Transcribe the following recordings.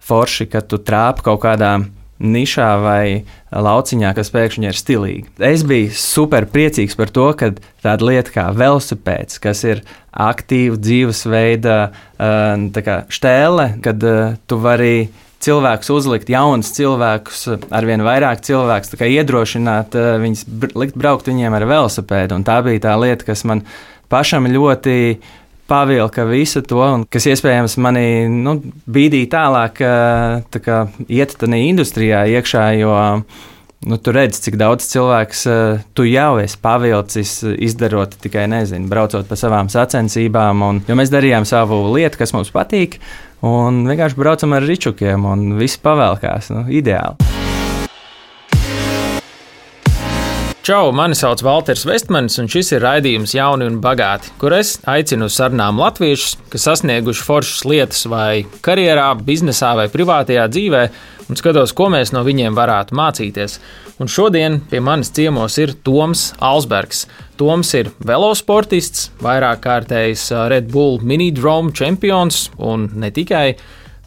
forši, ka tu trāpi kaut kādā nišā vai lauciņā, kas pēkšņi ir stilīgi. Es biju super priecīgs par to, ka tāda lieta kā velosipēds, kas ir aktīva dzīvesveida štēle, kad tu vari cilvēkus uzlikt, jaunus cilvēkus, arvien vairāk cilvēkus, tā kā iedrošināt viņus likt braukt viņiem ar velosipēdu. Un tā bija tā lieta, kas man pašam ļoti pavilka visu to, un kas iespējams mani bīdīja tālāk iet tādā industrijā iekšā, jo tu redzi, cik daudz cilvēks tu jau esi pavilcis, izdarot tikai, braucot pa savām sacensībām, jo mēs darījām savu lietu, kas mums patīk, un vienkārši braucam ar ričukiem, un viss pavēlkās, ideāli. Čau, mani sauc Valters Vestmanis, un šis ir raidījums Jauni un bagāti, kur es aicinu uz sarunām latviešus, kas sasnieguši foršas lietas vai karjerā, biznesā vai privātajā dzīvē, un skatos, ko mēs no viņiem varētu mācīties. Un šodien pie manis ciemos ir Toms Alsbergs. Toms ir velosportists, vairāk kārtējs Red Bull Mini Drome čempions, un ne tikai.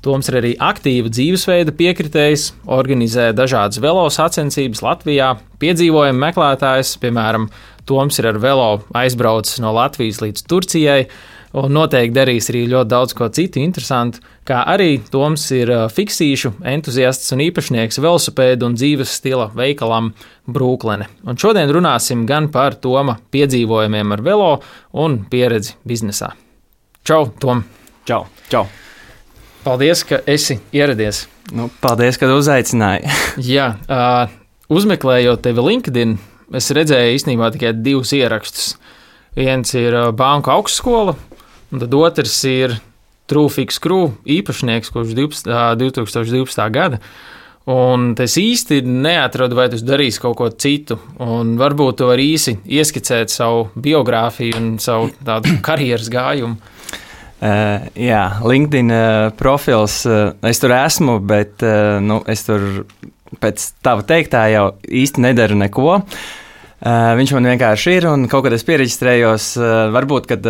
Toms ir arī aktīva dzīvesveida piekritējs, organizē dažādas velo sacensības Latvijā, piedzīvojumu meklētājs, piemēram, Toms ir ar velo aizbraucis no Latvijas līdz Turcijai, un noteikti darīs arī ļoti daudz ko citu interesantu, kā arī Toms ir fiksīšu entuziasts un īpašnieks velosipēdu un dzīves stila veikalam Brooklyn. Un šodien runāsim gan par Toma piedzīvojumiem ar velo un pieredzi biznesā. Čau, Tom! Čau! Čau! Paldies, ka esi ieradies. Paldies, ka uzaicināji. Jā, uzmeklējot tevi LinkedIn, es redzēju īstenībā tikai 2 ierakstus. Viens ir banku augstskola, un tad otrs ir True-Fix Crew īpašnieks kopš 2012. gada. Un es īsti neatradu, vai tu darīsi kaut ko citu. Un varbūt tu vari īsi ieskicēt savu biogrāfiju un savu tādu karjeras gājumu. Jā, LinkedIn profils, es tur esmu, bet es tur pēc tava teiktā jau īsti nedaru neko. Viņš man vienkārši ir, un kaut kad es piereģistrējos, varbūt, kad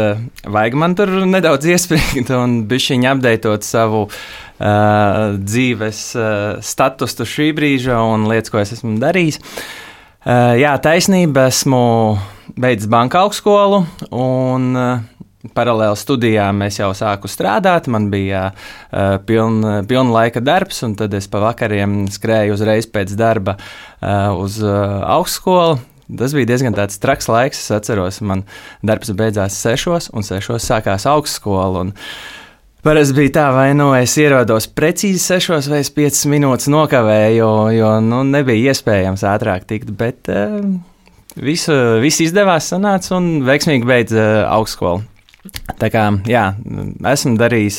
vajag man tur nedaudz iespringt un bišķiņ apdeitot savu dzīves statusu šī brīža un lietas, ko es esmu darījis. Jā, taisnība, esmu beidzis banka augstskolu, un paralēli studijām es jau sāku strādāt, man bija pilna laika darbs, un tad es pa vakariem skrēju uzreiz pēc darba uz augstskolu. Tas bija diezgan tāds traks laiks, es atceros, man darbs beidzās 6, un 6 sākās augstskola, un parasti bija tā, vai es ierados precīzi 6 vai 5 minūtes nokavēju, jo nebija iespējams ātrāk tikt, bet viss izdevās, sanāca un veiksmīgi beidz augstskolu. Tā kā, jā, esmu darījis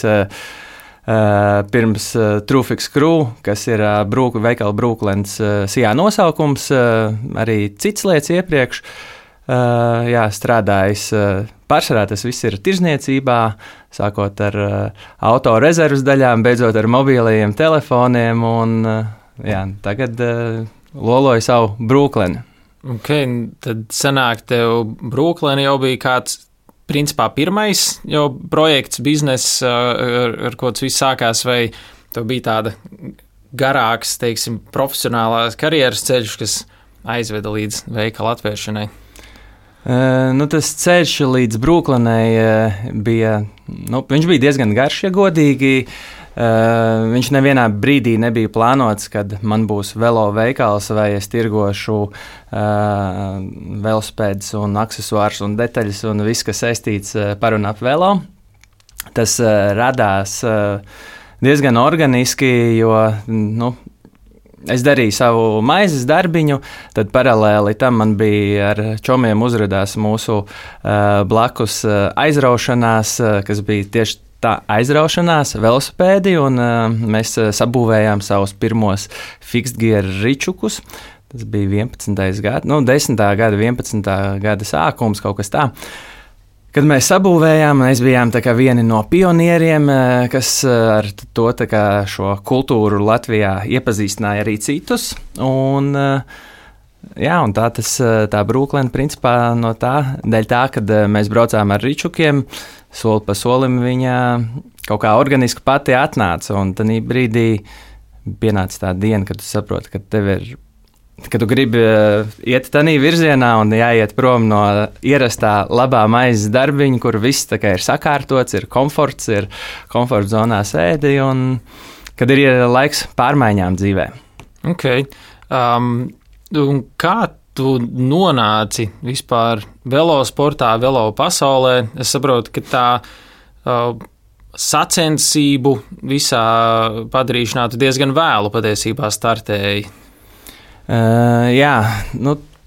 pirms True-Fix Crew, kas ir veikala Brooklyns sijā nosaukums, arī citas lietas iepriekš. Jā, strādājis, pārsvarā tas viss ir tirzniecībā, sākot ar auto rezervas daļām, beidzot ar mobilajiem telefoniem, un jā, tagad loloju savu Brooklynu. Ok, tad sanāk tev Brooklyn jau bija kāds principā pirmais jau projekts, bizness, ar ko tas viss sākās, vai tev bija tāda garāks, teiksim, profesionālās karjeras ceļš, kas aizveda līdz veikala atvēršanai? Tas ceļš līdz Brooklynai bija, viņš bija diezgan garš, ja godīgi. Viņš nevienā brīdī nebija plānots, kad man būs velo veikals vai es tirgošu velospēdus un aksesuārus un detaļas un viss, kas saistīts par un ap velo. Tas radās diezgan organiski, jo es darīju savu maizes darbiņu, tad paralēli tam man bija ar čomiem uzradās mūsu blakus aizraušanās, kas bija tieši tā aizraušanās, velosipēdi, un mēs sabūvējām savus pirmos fixed gear ričukus. Tas bija 11. gada, 10. gada, 11. gada sākums, kaut kas tā. Kad mēs sabūvējām, mēs bijām tā kā vieni no pionieriem, kas ar to tā kā šo kultūru Latvijā iepazīstināja arī citus, un Jā, un tā Brooklyn principā no dēļ tā, kad mēs braucām ar ričukiem, soli pa solim viņa kaut kā organiski pati atnāca, un tad brīdī pienāca tā diena, kad tu saproti, ka tu gribi iet tādā virzienā un jāiet prom no ierastā labā maizes darbiņa, kur viss tā kā ir sakārtots, ir komforts zonā sēdi, un kad ir laiks pārmaiņām dzīvē. Okay. Un kā tu nonāci vispār velosportā, velo pasaulē? Es saprotu, ka tā sacensību visā padarīšanā tu diezgan vēlu patiesībā startēji. Jā,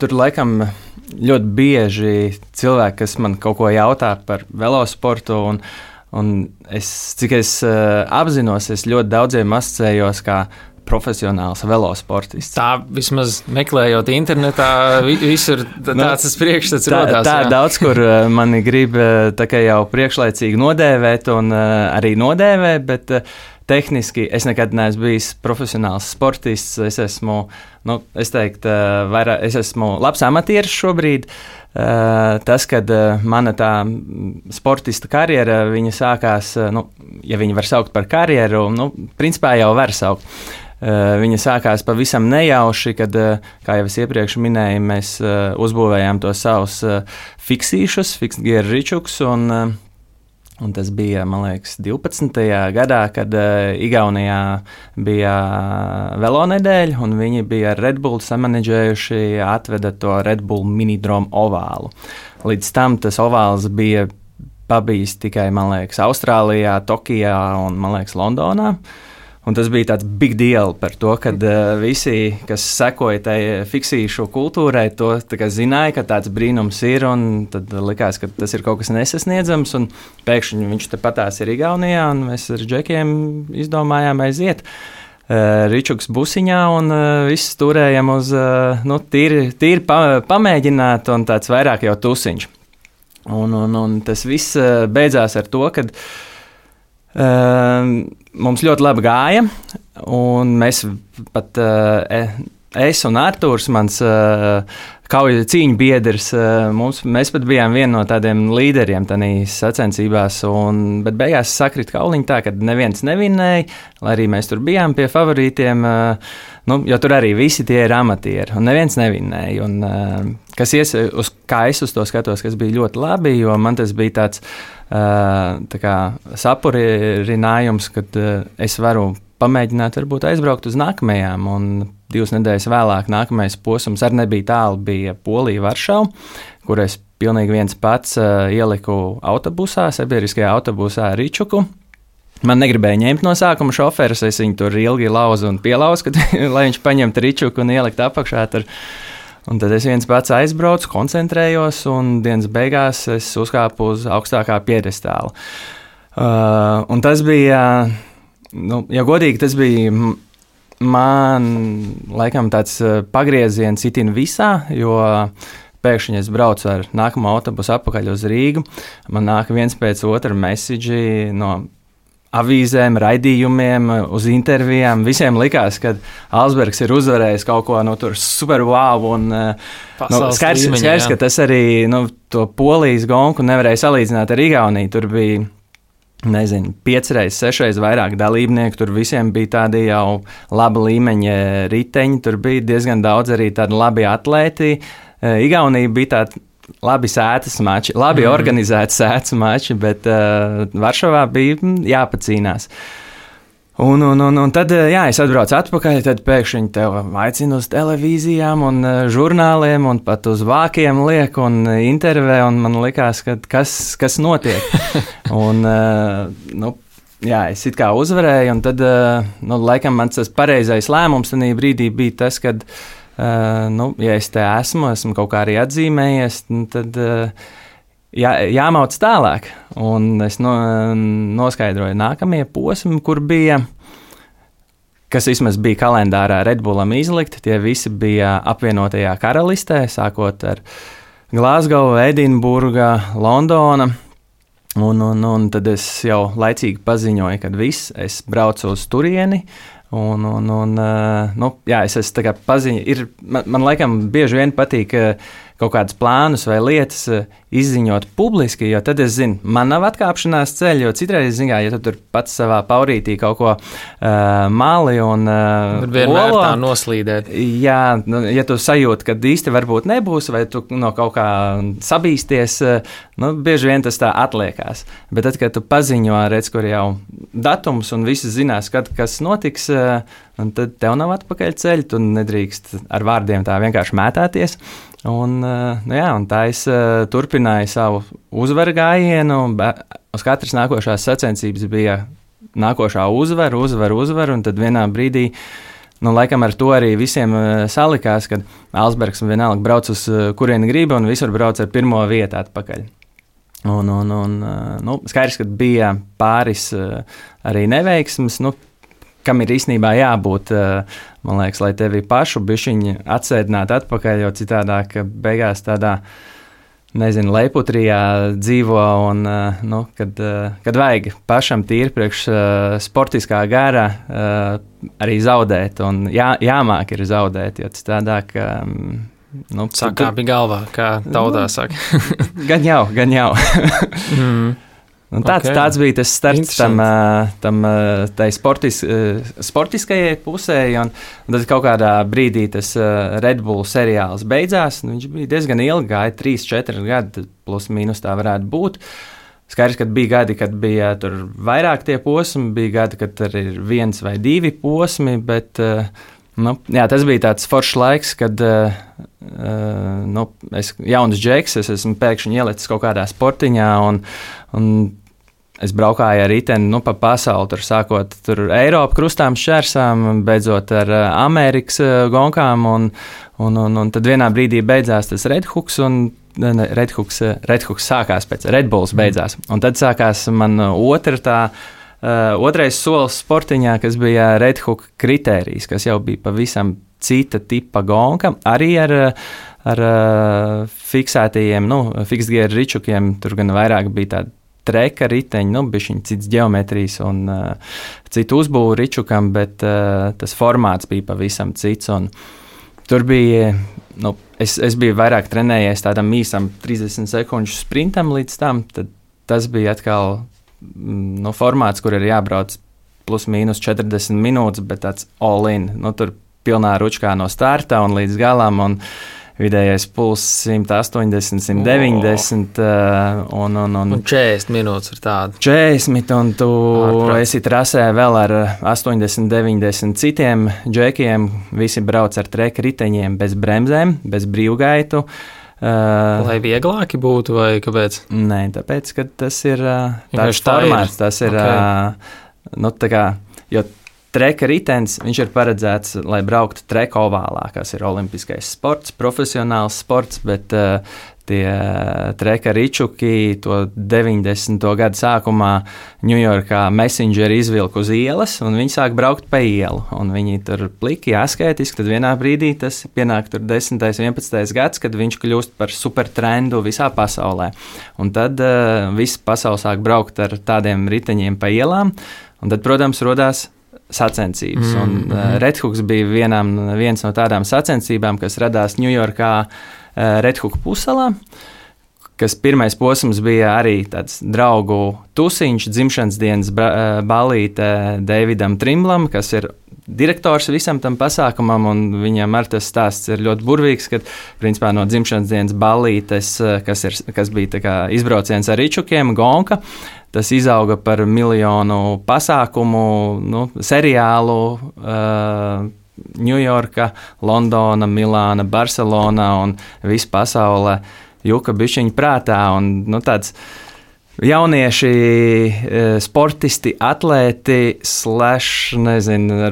tur laikam ļoti bieži cilvēki, kas man kaut ko jautā par velosportu, un cik es apzinos, es ļoti daudziem asociējos kā profesionāls velosportists. Tā vismaz meklējot internetā, visur tāds priekšstats rodās. Tā daudz, kur mani grib tā kā jau priekšlaicīgi nodēvēt un arī nodēvē, bet tehniski es nekad neesmu bijis profesionāls sportists. Es esmu, es esmu labs amatieris šobrīd. Tas, kad mana tā sportista karjera, viņa sākās, ja viņa var saukt par karjeru, principā jau var saukt. Viņa sākās pavisam nejauši, kad, kā jau es iepriekš minēju, mēs uzbūvējām tos savus fiksīšus, fixed gear ričuks, un tas bija, man liekas, 12. gadā, kad Igaunijā bija velonedēļa, un viņi bija ar Red Bull samanedžējuši, atveda to Red Bull minidromu ovālu. Līdz tam tas ovāls bija pabijis tikai, man liekas, Austrālijā, Tokijā un, man liekas, Londonā. Un tas bija tāds big deal par to, ka visi, kas sekoja tai fiksīšu kultūrai, to zināja, ka tāds brīnums ir, un tad likās, ka tas ir kaut kas nesasniedzams, un pēkšņi viņš tepatās ir Igaunijā, un mēs ar džekiem izdomājām aiziet ričuks busiņā, un viss turējam uz tīri pamēģināt, un tāds vairāk jau tusiņš. Un tas viss beidzās ar to, kad mums ļoti labi gāja, un mēs pat, es un Artūrs, mans kauju cīņu biedrs, mēs pat bijām viena no tādiem līderiem tādīs sacensībās, bet beigās sakrita kauliņi tā, ka neviens nevinēja, lai arī mēs tur bijām pie favorītiem, jo tur arī visi tie ir amatieri, un neviens nevinēja. Un, kā es uz to skatos, kas bija ļoti labi, jo man tas bija tāds sapurinājums, kad es varu pamēģināt, varbūt aizbraukt uz nākamajām, un 2 nedēļas vēlāk nākamais posms arī nebija tālu, bija Polija, Varšava, kur es pilnīgi viens pats ieliku autobusā, sabiedriskajā autobusā ričuku. Man negribēja ņemt no sākuma šoferis, es viņu tur ilgi lauzu un pielauzu, lai viņš paņemtu ričuku un ielikt apakšā tur. Un tad es viens pats aizbraucu, koncentrējos, un dienas beigās es uzkāpu uz augstākā piedestāla. Un tas bija, ja godīgi, tas bija man, laikam, tāds pagrieziens itin visā, jo pēkšņi es braucu ar nākamo autobusu atpakaļ uz Rīgu. Man nāk viens pēc otra mesidži no avīzēm, raidījumiem, uz intervijām. Visiem likās, ka Alsbergs ir uzvarējis kaut ko tur super wow. Un, skaidrs, ka tas arī to Polijas gonku nevarēja salīdzināt ar Igauniju. Tur bija, 5 reizes, 6 reizes vairāk dalībnieku. Tur visiem bija tādi jau laba līmeņa riteņi. Tur bija diezgan daudz arī tādi labi atlēti. Igaunija bija tāda labi sētas mači, labi organizēti sētas mači, bet Varšavā bija jāpacīnās. Un tad, es atbraucu atpakaļ, tad pēkšņi tev aicina uz televīzijām un žurnāliem un pat uz vākiem liek un intervē, un man likās, ka kas notiek. Un, es it kā uzvarēju, un tad, laikam mans tas pareizais lēmums tajā brīdī bija tas, kad ja es te esmu kaut kā arī atzīmējies, tad jāmauc tālāk. Un es noskaidroju nākamie posmi, kur bija, kas vismaz bija kalendārā Red Bullam izlikti, tie visi bija apvienotajā karalistē, sākot ar Glasgow, Edinburga, Londona. Un tad es jau laicīgi paziņoju, kad es braucu uz turieni, Es esmu tā kā paziņa. Man laikam bieži vien patīk kaut kādus plānus vai lietas izziņot publiski, jo tad es zinu, man nav atkāpšanās ceļa, jo citreiz, ja tu tur pats savā paurītī kaut ko mali un vienmēr olo, tā noslīdēt. Jā, ja tu sajūti, ka īsti varbūt nebūs, vai tu no kaut kā sabīsties, bieži vien tas tā atliekās. Bet tad, kad tu paziņo, redz, kur jau datums un visi zinās, kas notiks, un tad tev nav atpakaļ ceļa, tu nedrīkst ar vārdiem tā vienkārši mētāties. Un tā es turpināju savu uzvaru gājienu. Uz katras nākošās sacensības bija nākošā uzvara, un tad vienā brīdī, laikam ar to arī visiem salikās, kad Alsbergs vienalga brauc uz kurieni grib, un visur brauc ar pirmo vietu atpakaļ. Skaidrs, ka bija pāris arī neveiksmes, kam ir īstenībā jābūt, man liekas, lai tevi pašu bišķiņi atsēdinātu atpakaļ, jo citādāk beigās tādā, leiputrijā dzīvo un, kad vajag pašam tīri priekš sportiskā gara arī zaudēt un jāmāk ir zaudēt, jo citādāk... Sakāpi galvā, kā tautā saka. Gan jau. Tāds bija tas starts tai sportiskajai pusē, un tad kaut kādā brīdī tas Red Bull seriāls beidzās. Viņš bija diezgan ilgi, gāja 3-4 gadi, plus mīnus tā varētu būt. Skaidrs, ka bija gadi, kad bija tur vairāk tie posmi, bija gadi, kad tur ir 1 vai 2 posmi, bet tas bija tāds foršs laiks, kad es jauns džeks, es esmu pēkšņi ielicis kaut kādā sportiņā, un es braukāju ar riteni pa pasauli, tur sākot tur Eiropu krustām šķērsām, beidzot ar Amerikas gonkām, un tad vienā brīdī beidzās tas Red Hooks sākās pēc Red Bulls beidzās, un tad sākās man otrais solis sportiņā, kas bija Red Hook kritērijs, kas jau bija pavisam cita tipa gonka, arī ar fiksētajiem, fixed gear ričukiem, tur gan vairāk bija tādi treka riteņi, bišķiņ cits ģeometrijas un citu uzbūvu ričukam, bet tas formāts bija pavisam cits, un tur bija, es biju vairāk trenējies tādam īsam 30 sekundžu sprintam līdz tam, tad tas bija atkal formāts, kur ir jābrauc plus mīnus 40 minūtes, bet tāds all in, tur pilnā ručkā no starta un līdz galam, un vidējais puls 180, 190 un 40 minūtes ir tāda. 40, un tu esi trasē vēl ar 80, 90 citiem džekiem, visi brauc ar treka riteņiem bez bremzēm, bez brīvgaitu. Lai vieglāki būtu, vai kāpēc? Nē, tāpēc, ka tas ir tāds formāts, tas ir, jo treka ritens, viņš ir paredzēts, lai brauktu treka ovālā, kas ir olimpiskais sports, profesionāls sports, bet tie treka ričuki to 90. gadu sākumā Ņujorkā Messengeri izvilka uz ielas, un viņi sāk braukt pa ielu, un viņi tur pliki, asketiski, tad vienā brīdī tas pienāk tur 10. 11. gads, kad viņš kļūst par supertrendu visā pasaulē, un tad viss pasaule sāk braukt ar tādiem riteņiem pa ielām, un tad, protams, rodās sacensības. Red Hooks bija viens no tādām sacensībām, kas radās Ņujorkā Red Hook pussalā, kas pirmais posms bija arī tāds draugu tusiņš, dzimšanas dienas ballīte Davidam Trimblam, kas ir direktors visam tam pasākumam, un viņam ar tas stāsts ir ļoti burvīgs, kad principā no dzimšanas dienas ballītes, kas bija tā kā izbrauciens ar ričukiem, gonka, tas izauga par miljonu pasākumu, seriālu, Ņujorka, Londona, Milāna, Barcelona un visa pasaule juka bišķiņu prātā, un tāds jaunieši, sportisti, atlēti,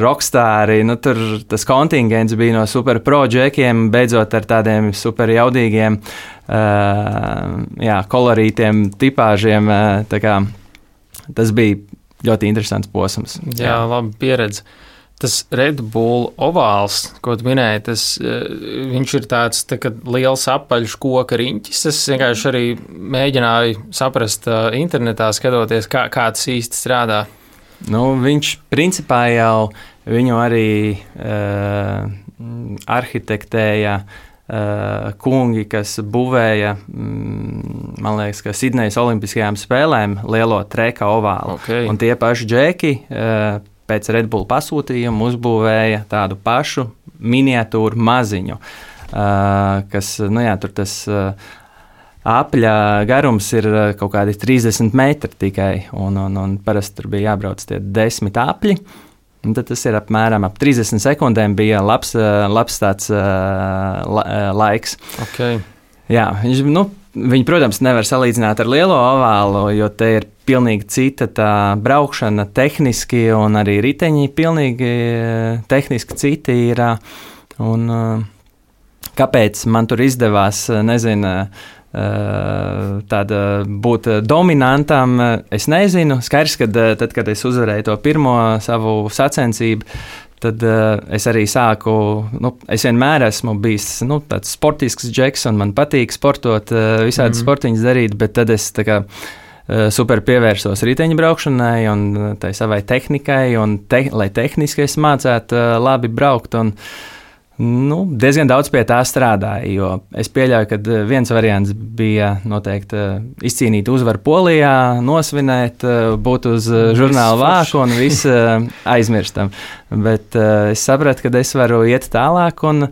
rockstāri, tur tas kontingents bija no super pro džekiem, beidzot ar tādiem super jaudīgiem, kolorītiem tipāžiem, tā kā tas bija ļoti interesants posms. Jā, labi pieredze. Tas Red Bull ovāls, ko tu minēji, viņš ir tāds liels apaļš koka riņķis. Es vienkārši arī mēģināju saprast internetā, skatoties, kā tas īsti strādā. Viņš principā jau viņu arī arhitektēja kungi, kas būvēja, man liekas, ka Sidnejas Olimpiskajām spēlēm lielo treka ovālu. Okay. Un tie paši džeki pēc Red Bull pasūtījuma uzbūvēja tādu pašu miniatūru maziņu, kas, tur tas apļa garums ir kaut kādi 30 metri tikai, un parasti tur bija jābrauc tie 10 apļi. Un tad tas ir apmēram ap 30 sekundēm bija labs tāds laiks. Okay. Jā, viņi, protams, nevar salīdzināt ar lielo ovālu, jo te ir pilnīgi cita tā braukšana tehniski, un arī riteņi pilnīgi tehniski citi ir. Un kāpēc man tur izdevās, nezinu, tāda būt dominantam, es nezinu. Skaidrs, ka tad, kad es uzvarēju to pirmo savu sacensību, tad es arī sāku, es vienmēr esmu bijis tāds sportisks džeks, un man patīk sportot, visādi sportiņas darīt, bet tad es tā kā super pievērsos riteņu braukšanai un tai savai tehnikai, un lai tehniski es mācētu labi braukt, un diezgan daudz pie tā strādāju, jo es pieļauju, ka viens variants bija noteikti izcīnīt uzvaru Polijā, nosvinēt, būt uz žurnāla vāku un viss aizmirstam. Bet es sapratu, ka es varu iet tālāk un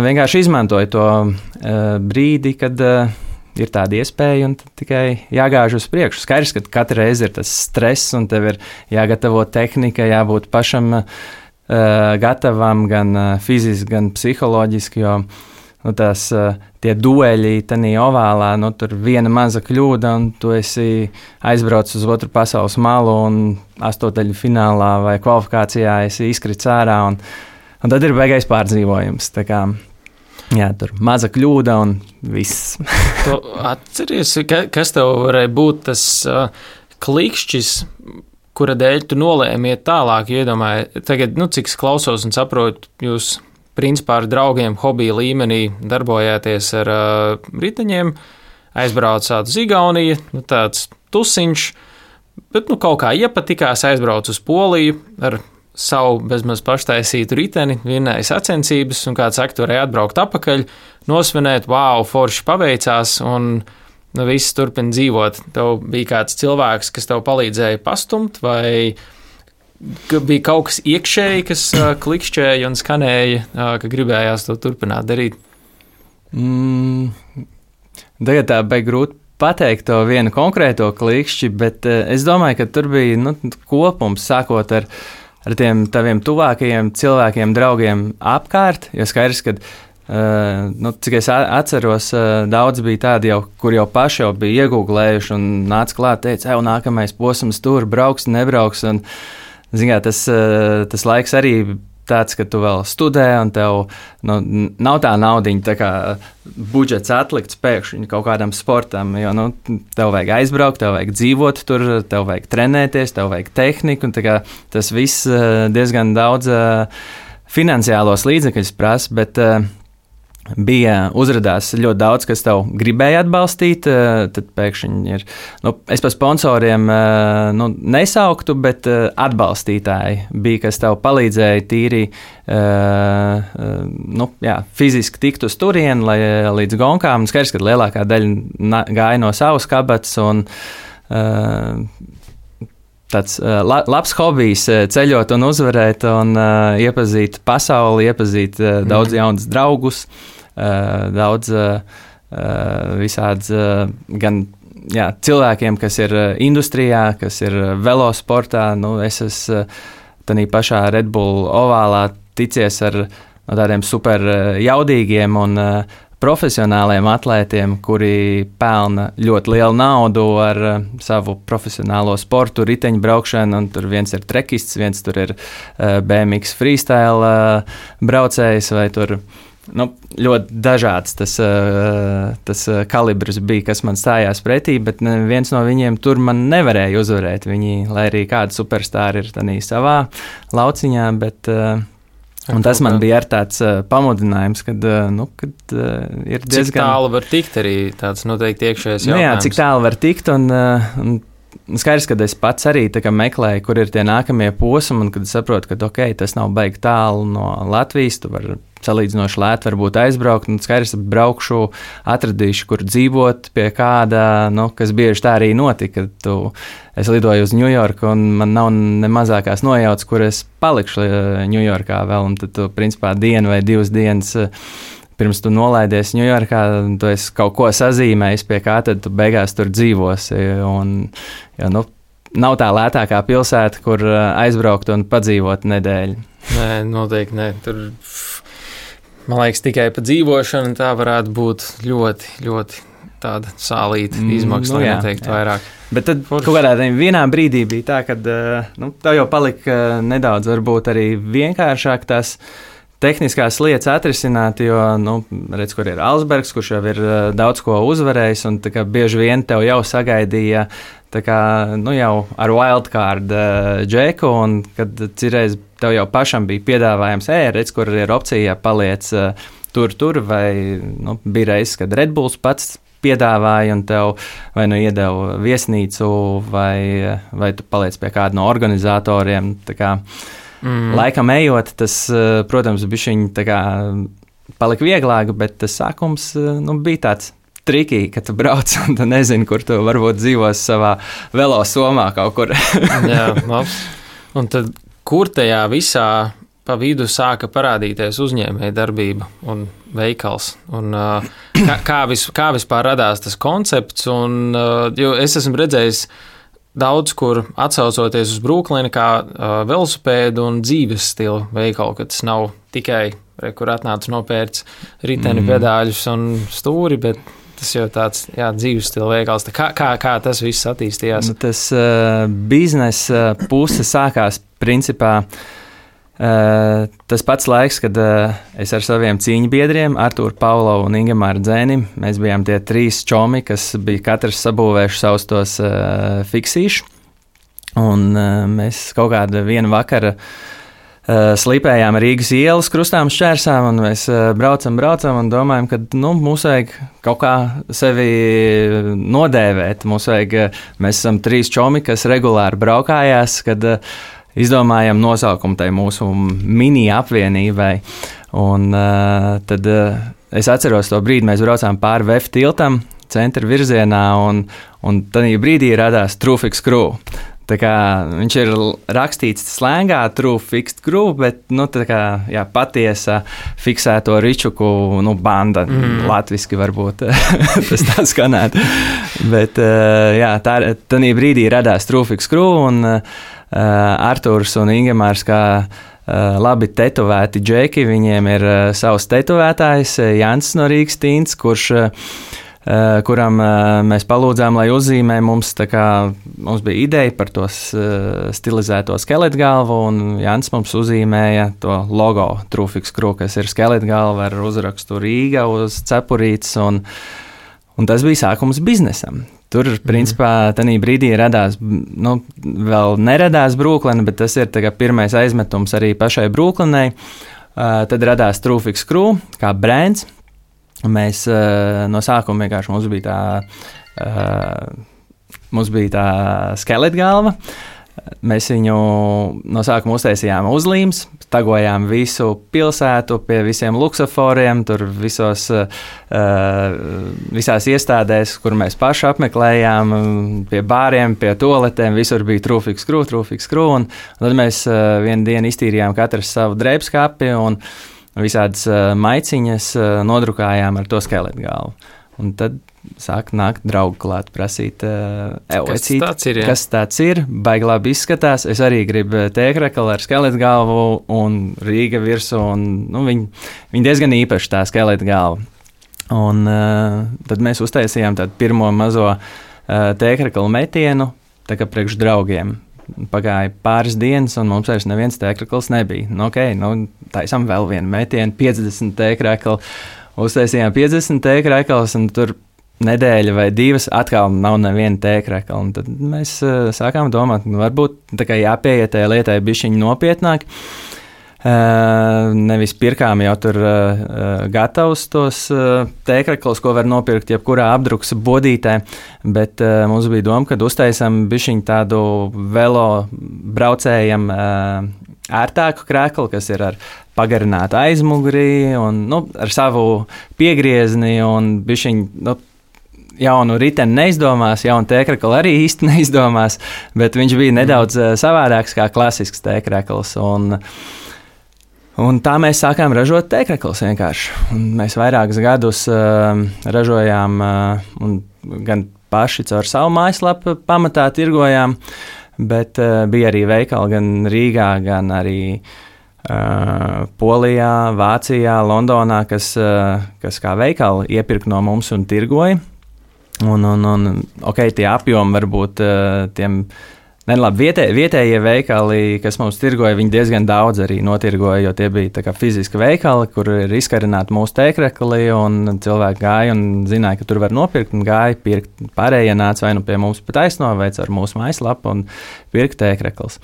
vienkārši izmantoju to brīdi, kad ir tāda iespēja un tikai jāgāž uz priekšu. Skaidrs, ka katru reizi ir tas stress un tev ir jāgatavo tehnika, jābūt pašam gatavam gan fiziski, gan psiholoģiski, jo tie dueļi tanī ovālā, tur viena maza kļūda un tu esi aizbraucis uz otru pasaules malu un astotaļu finālā vai kvalifikācijā esi izkrits ārā un tad ir beigais pārdzīvojums. Tā kā, jā, tur maza kļūda un viss. Tu atceries, kas tev varēja būt tas klikšķis, kura dēļ tu nolēmi iet tālāk, iedomāji, tagad, cik es klausos un saprotu, jūs principā ar draugiem hobija līmenī darbojāties ar riteņiem, aizbraucāt uz Igauniju, tāds tusiņš, bet kaut kā iepatikās, aizbrauc uz Poliju ar savu bezmaz paštaisītu riteni, vinnēja sacensības, un kāds saka, tu varēja atbraukt apakaļ, nosvinēt, wow, forši paveicās, un viss turpina dzīvot. Tev bija kāds cilvēks, kas tev palīdzēja pastumt, vai bija kaut kas iekšēji, kas klikšķēja un skanēja, ka gribējās to turpināt darīt? Tagad tā bija grūti pateikt to vienu konkrēto klikšķi, bet es domāju, ka tur bija kopums, sākot ar tiem taviem tuvākajiem cilvēkiem, draugiem apkārt, jo skaidrs, ka cik es atceros, daudz bija tādi jau, kur jau paši jau bija iegūglējuši un nāca klāt, teica, nākamais posms tur, brauks, nebrauks, un, zināmā, tas laiks arī tāds, ka tu vēl studē, un tev nav tā naudiņa, tā kā budžets atlikts pēkšņi kaut kādam sportam, jo, tev vajag aizbraukt, tev vajag dzīvot tur, tev vajag trenēties, tev vajag tehniku, un tā kā tas viss diezgan daudz finansiālos līdzekļus prasa, bet uzradās ļoti daudz, kas tev gribēja atbalstīt, tad pēkšņi ir, es pa sponsoriem nesauktu, bet atbalstītāji bija, kas tev palīdzēja tīri, fiziski tikt uz turieni, lai līdz gonkām, skaidrs, ka lielākā daļa gāja no savas kabatas un tāds labs hobijs ceļot un uzvarēt un iepazīt pasauli, iepazīt daudz jaunus draugus, daudz visāds gan cilvēkiem, kas ir industrijā, kas ir velosportā. Es esmu tādā pašā Red Bull ovālā ticies ar tādiem super jaudīgiem un profesionāliem atlētiem, kuri pelna ļoti lielu naudu ar savu profesionālo sportu, riteņbraukšanu, un tur viens ir trekists, viens tur ir BMX freestyle braucējs, vai tur ļoti dažāds tas kalibrs bija, kas man stājās pretī, bet viens no viņiem tur man nevarēja uzvarēt. Viņi, lai arī kādi superstāri ir tādā savā lauciņā, bet un tas man bija ar tāds pamudinājums, kad ir diezgan... Cik tālu var tikt arī tāds noteikti iekšējais jautājums? Jā, cik tālu var tikt, un skaidrs, ka es pats arī meklēju, kur ir tie nākamie posmi, un kad es saprotu, ka tas nav baigi tālu no Latvijas, tu vari salīdzinoši lēti varbūt aizbraukt, un skaidrs, braukšu, atradīšu, kur dzīvot pie kāda, kas bieži tā arī notika. Es lidoju uz Ņujorku, un man nav ne mazākās nojautas, kur es palikšu Ņujorkā vēl, un tad tu, principā, dienu vai 2 dienas pirms tu nolaidies Ņujorkā, tu esi kaut ko sazīmējis, pie kā tad tu beigās tur dzīvosi, un, nav tā lētākā pilsēta, kur aizbraukt un padzīvot nedēļu. Nē, noteikti nē, tur... Man liekas, tikai pa dzīvošanu tā varētu būt ļoti, ļoti tāda sālīta izmaksa, lai neteiktu vairāk. Bet tad kaut kādā vienā brīdī bija tā, ka tev jau palika nedaudz varbūt arī vienkāršāk tās tehniskās lietas atrisināt, jo, redz, kur ir Alsbergs, kurš jau ir daudz ko uzvarējis, un bieži vien tev jau sagaidīja jau ar wildcard džeku, un kad cirreiz tev jau pašam bija piedāvājums, redz, kur ir opcija, paliec tur, vai bija reizes, kad Red Bulls pats piedāvāja un tev vai iedeva viesnīcu, vai tu paliec pie kāda no organizatoriem. Laikam ejot, tas, protams, bišķiņ palika vieglāk, bet tas sākums bija tāds trikī, ka tu brauc un tu nezini, kur tu varbūt dzīvos savā velo somā kaut kur. Jā, labs. Un tad, kur tajā visā pa vidu sāka parādīties uzņēmēja darbība un veikals? Un, kā vispār radās tas koncepts? Un, jo es esmu redzējis daudz, kur atsaucoties uz Brooklynu kā velosipēdu un dzīves stilu veikalu, ka tas nav tikai, kur atnāc nopērts riteni, pedāļus un stūri, bet tas jau tāds dzīves stila veikals. Kā tas viss attīstījās? Tas biznesa puse sākās principā tas pats laiks, kad es ar saviem cīņbiedriem, Artūru, Paulo un Ingemāru Dzēni, mēs bijām tie 3 čomi, kas bija katrs sabūvējuši savus tos fiksīšus. Un mēs kaut kādu vienu vakaru slīpējām Rīgas ielas krustām šķērsām, un mēs braucam un domājam, ka mums vajag kaut kā sevi nodēvēt. Mēs esam 3 čomi, kas regulāri braukājās, kad izdomājam nosaukumu tai mūsu mini apvienībai. Un tad es atceros to brīdi, mēs braucām pāri VF tiltam, centra virzienā, un tajā brīdī radās True Fixed Crew. Viņš ir rakstīts slēngā, true fixed crew, bet patiesa fiksēto ričuku banda. Latviski varbūt tas tā skanētu. Bet tajā brīdī radās True Fixed Crew, un Artūrs un Ingemārs kā labi tetovēti džeki, viņiem ir savs tetovētājs Jānis no Rīgas Tints, kuram mēs palūdzām, lai uzzīmē mums, mums bija ideja par to stilizēto skeletgalvu, un Jānis mums uzzīmēja to logo True Fixed Crew, kas ir skeletgalva ar uzrakstu Rīga uz cepurītes, un tas bija sākums biznesam. Tur, principā, tajā brīdī radās, vēl neradās Brooklyna, bet tas ir pirmais aizmetums arī pašai Brooklynai. Tad radās True Fixed Crew kā brands. Mēs no sākuma vienkārši mums bija tā skeletgalva. Mēs viņu no sākuma uztaisījām uzlīmes, tagojām visu pilsētu pie visiem luksaforiem, tur visās iestādēs, kur mēs paši apmeklējām, pie bāriem, pie toaletēm, visur bija True Fixed Crew, un tad mēs vienu dienu iztīrījām katrs savu drēbskapi un visādas maiciņas nodrukājām ar to skeletgalvu. Un tad sāk nākt draugi klāt, prasīt, kas tāds ir, baigi labi izskatās. Es arī gribu tēkrakali ar skeletgalvu un Rīga virsū, un viņi diezgan īpaši tā skeletgalva. Un tad mēs uztaisījām tādu pirmo mazo tēkrakalu metienu, tā kā priekš draugiem. Pagāja pāris dienas, un mums vairs neviens tēkrakls nebija. Taisām vēl vienu metienu, 50 tēkrakli. Uztaisījām 50 tēkraklus, un tur nedēļa vai 2 atkal nav neviena tēkrakla. Un tad mēs sākām domāt, varbūt jāpieiet tajā lietai bišķiņi nopietnāk. Nevis pirkām jau tur gatavus tos tēkraklus, ko var nopirkt jebkurā apdrukas bodītē, bet mums bija doma, kad uztaisam bišķiņ tādu velo braucējam ērtāku krēklu, kas ir ar pagarinātu aizmuguri un ar savu piegriezni un bišķiņ, jaunu riteni neizdomās, jaunu tēkraklu arī īsti neizdomās, bet viņš bija nedaudz savādāks kā klasisks tēkrakls. Un tā mēs sākām ražot tēkraklus vienkārši. Un mēs vairākus gadus ražojām gan paši caur savu mājaslapu pamatā tirgojām, bet bija arī veikali gan Rīgā, gan arī Polijā, Vācijā, Londonā, kas kā veikali iepirka no mums un tirgoja. Tie apjomi varbūt tiem vietējie veikali, kas mums tirgoja, viņi diezgan daudz arī notirgoja, jo tie bija tā kā fiziski veikali, kur ir izkarināti mūsu tēkrakli, un cilvēki gāja un zināja, ka tur var nopirkt, un gāja pirkt. Pārējie nāca vai nu pie mums pa taisno, vai ar mūsu mājaslapu un pirkt tēkraklus.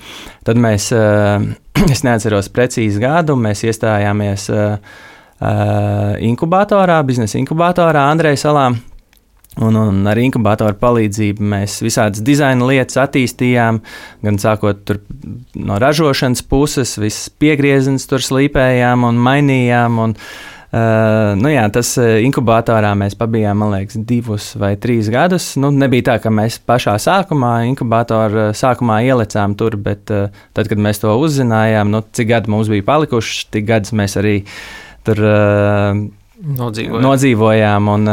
Tad mēs, es neatceros precīzi gadu, mēs iestājāmies inkubatorā, biznesa inkubatorā Andreja salā. Un ar inkubatoru palīdzību mēs visādas dizaina lietas attīstījām, gan sākot tur no ražošanas puses, visas piegriezens tur slīpējām un mainījām. Tas inkubatorā mēs pabijām, man liekas, 2 vai 3 gadus. Nebija tā, ka mēs pašā inkubatoru sākumā ielecām tur, bet tad, kad mēs to uzzinājām, cik gadi mums bija palikuši, tik gadus mēs arī tur nodzīvojām un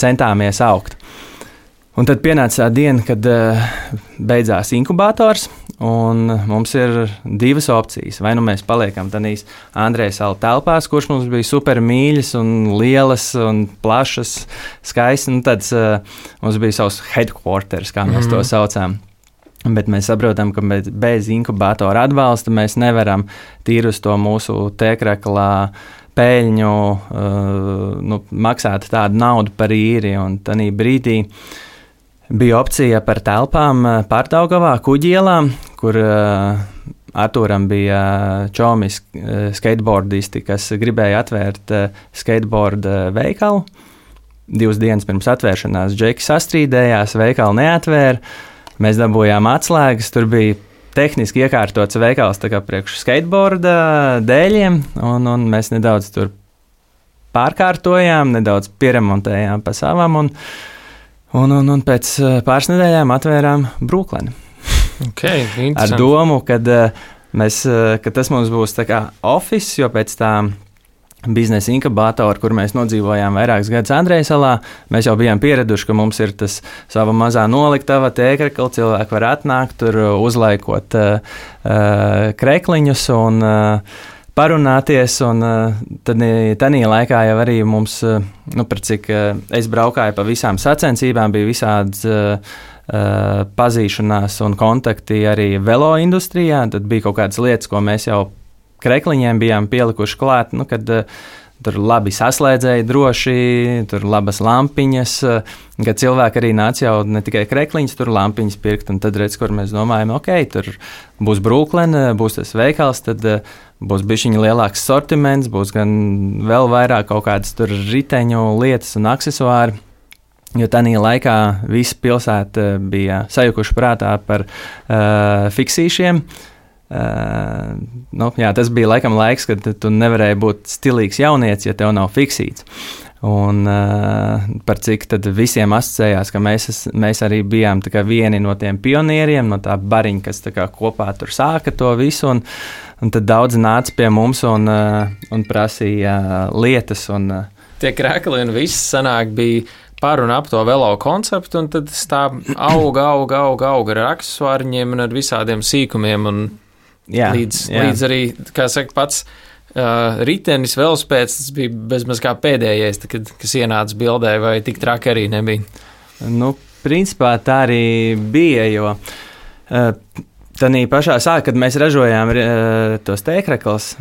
centāmies augt. Un tad pienāca tā diena, kad beidzās inkubators, un mums ir 2 opcijas. Vai nu mēs paliekam tādīs Andreja salu telpās, kurš mums bija super mīļas un lielas un plašas, skaistas. Tad mums bija savs headquarters, kā mēs to saucām. Bet mēs saprotam, ka bez inkubatora atbalsta mēs nevaram tīri uz to mūsu tēkraklā peļņu maksāt tādu naudu par īri. Un tanī brīdī bija opcija par telpām Pārdaugavā, Kuģielā, kur Artūram bija čomi skateboardisti, kas gribēja atvērt skateboard veikalu. 2 dienas pirms atvēršanās džeki sastrīdējās, veikalu neatvēra. Mēs dabūjām atslēgas, tur bija tehniski iekārtots veikals tā kā priekš skateboarda dēļiem, un mēs nedaudz tur pārkārtojām, nedaudz pieremontējām pa savam, un pēc pāris nedēļām atvērām Brooklyn. Okay, ar domu, ka tas mums būs tā kā office, jo pēc tā biznesa inkubatoru, kur mēs nodzīvojām vairākus gadus Andreja salā, mēs jau bijām pieraduši, ka mums ir tas sava mazā noliktava tēkrakla, cilvēki var atnākt, tur uzlaikot krekliņus un parunāties, un tad tanī laikā jau arī mums, par cik es braukāju pa visām sacensībām, bija visādas pazīšanās un kontakti arī velo industrijā, tad bija kaut kādas lietas, ko mēs jau krekliņiem bijām pielikuši klāt, kad tur labi saslēdzēja droši, tur labas lampiņas, kad cilvēki arī nāca jau ne tikai krekliņas, tur lampiņas pirkt, un tad redz, kur mēs domājam, tur būs Brooklyn, būs tas veikals, tad būs bišķiņa lielāks sortiments, būs gan vēl vairāk kaut kādas tur riteņu lietas un aksesuāri, jo tanī laikā visa pilsēta bija sajukuši prātā par fiksīšiem. Tas bija laikam laiks, kad tu nevarēji būt stilīgs jaunietis, ja tev nav fiksīts. Un par cik tad visiem asociējās, ka mēs arī bijām tā kā vieni no tiem pionieriem, no tā bariņa, kas tā kā kopā tur sāka to visu, un tad daudz nāca pie mums un prasīja lietas. Tie krekli un viss sanāk bija par un ap to velo konceptu, un tad tā auga ar aksesuāriņiem un ar visādiem sīkumiem, un līdz arī, kā saka, pats ritenis velospēds, tas bija bezmaz kā pēdējais, kas ienāca bildē, vai tik traki arī nebija? Principā tā arī bija, jo tanī pašā sākā, kad mēs ražojām tos tēkraklus,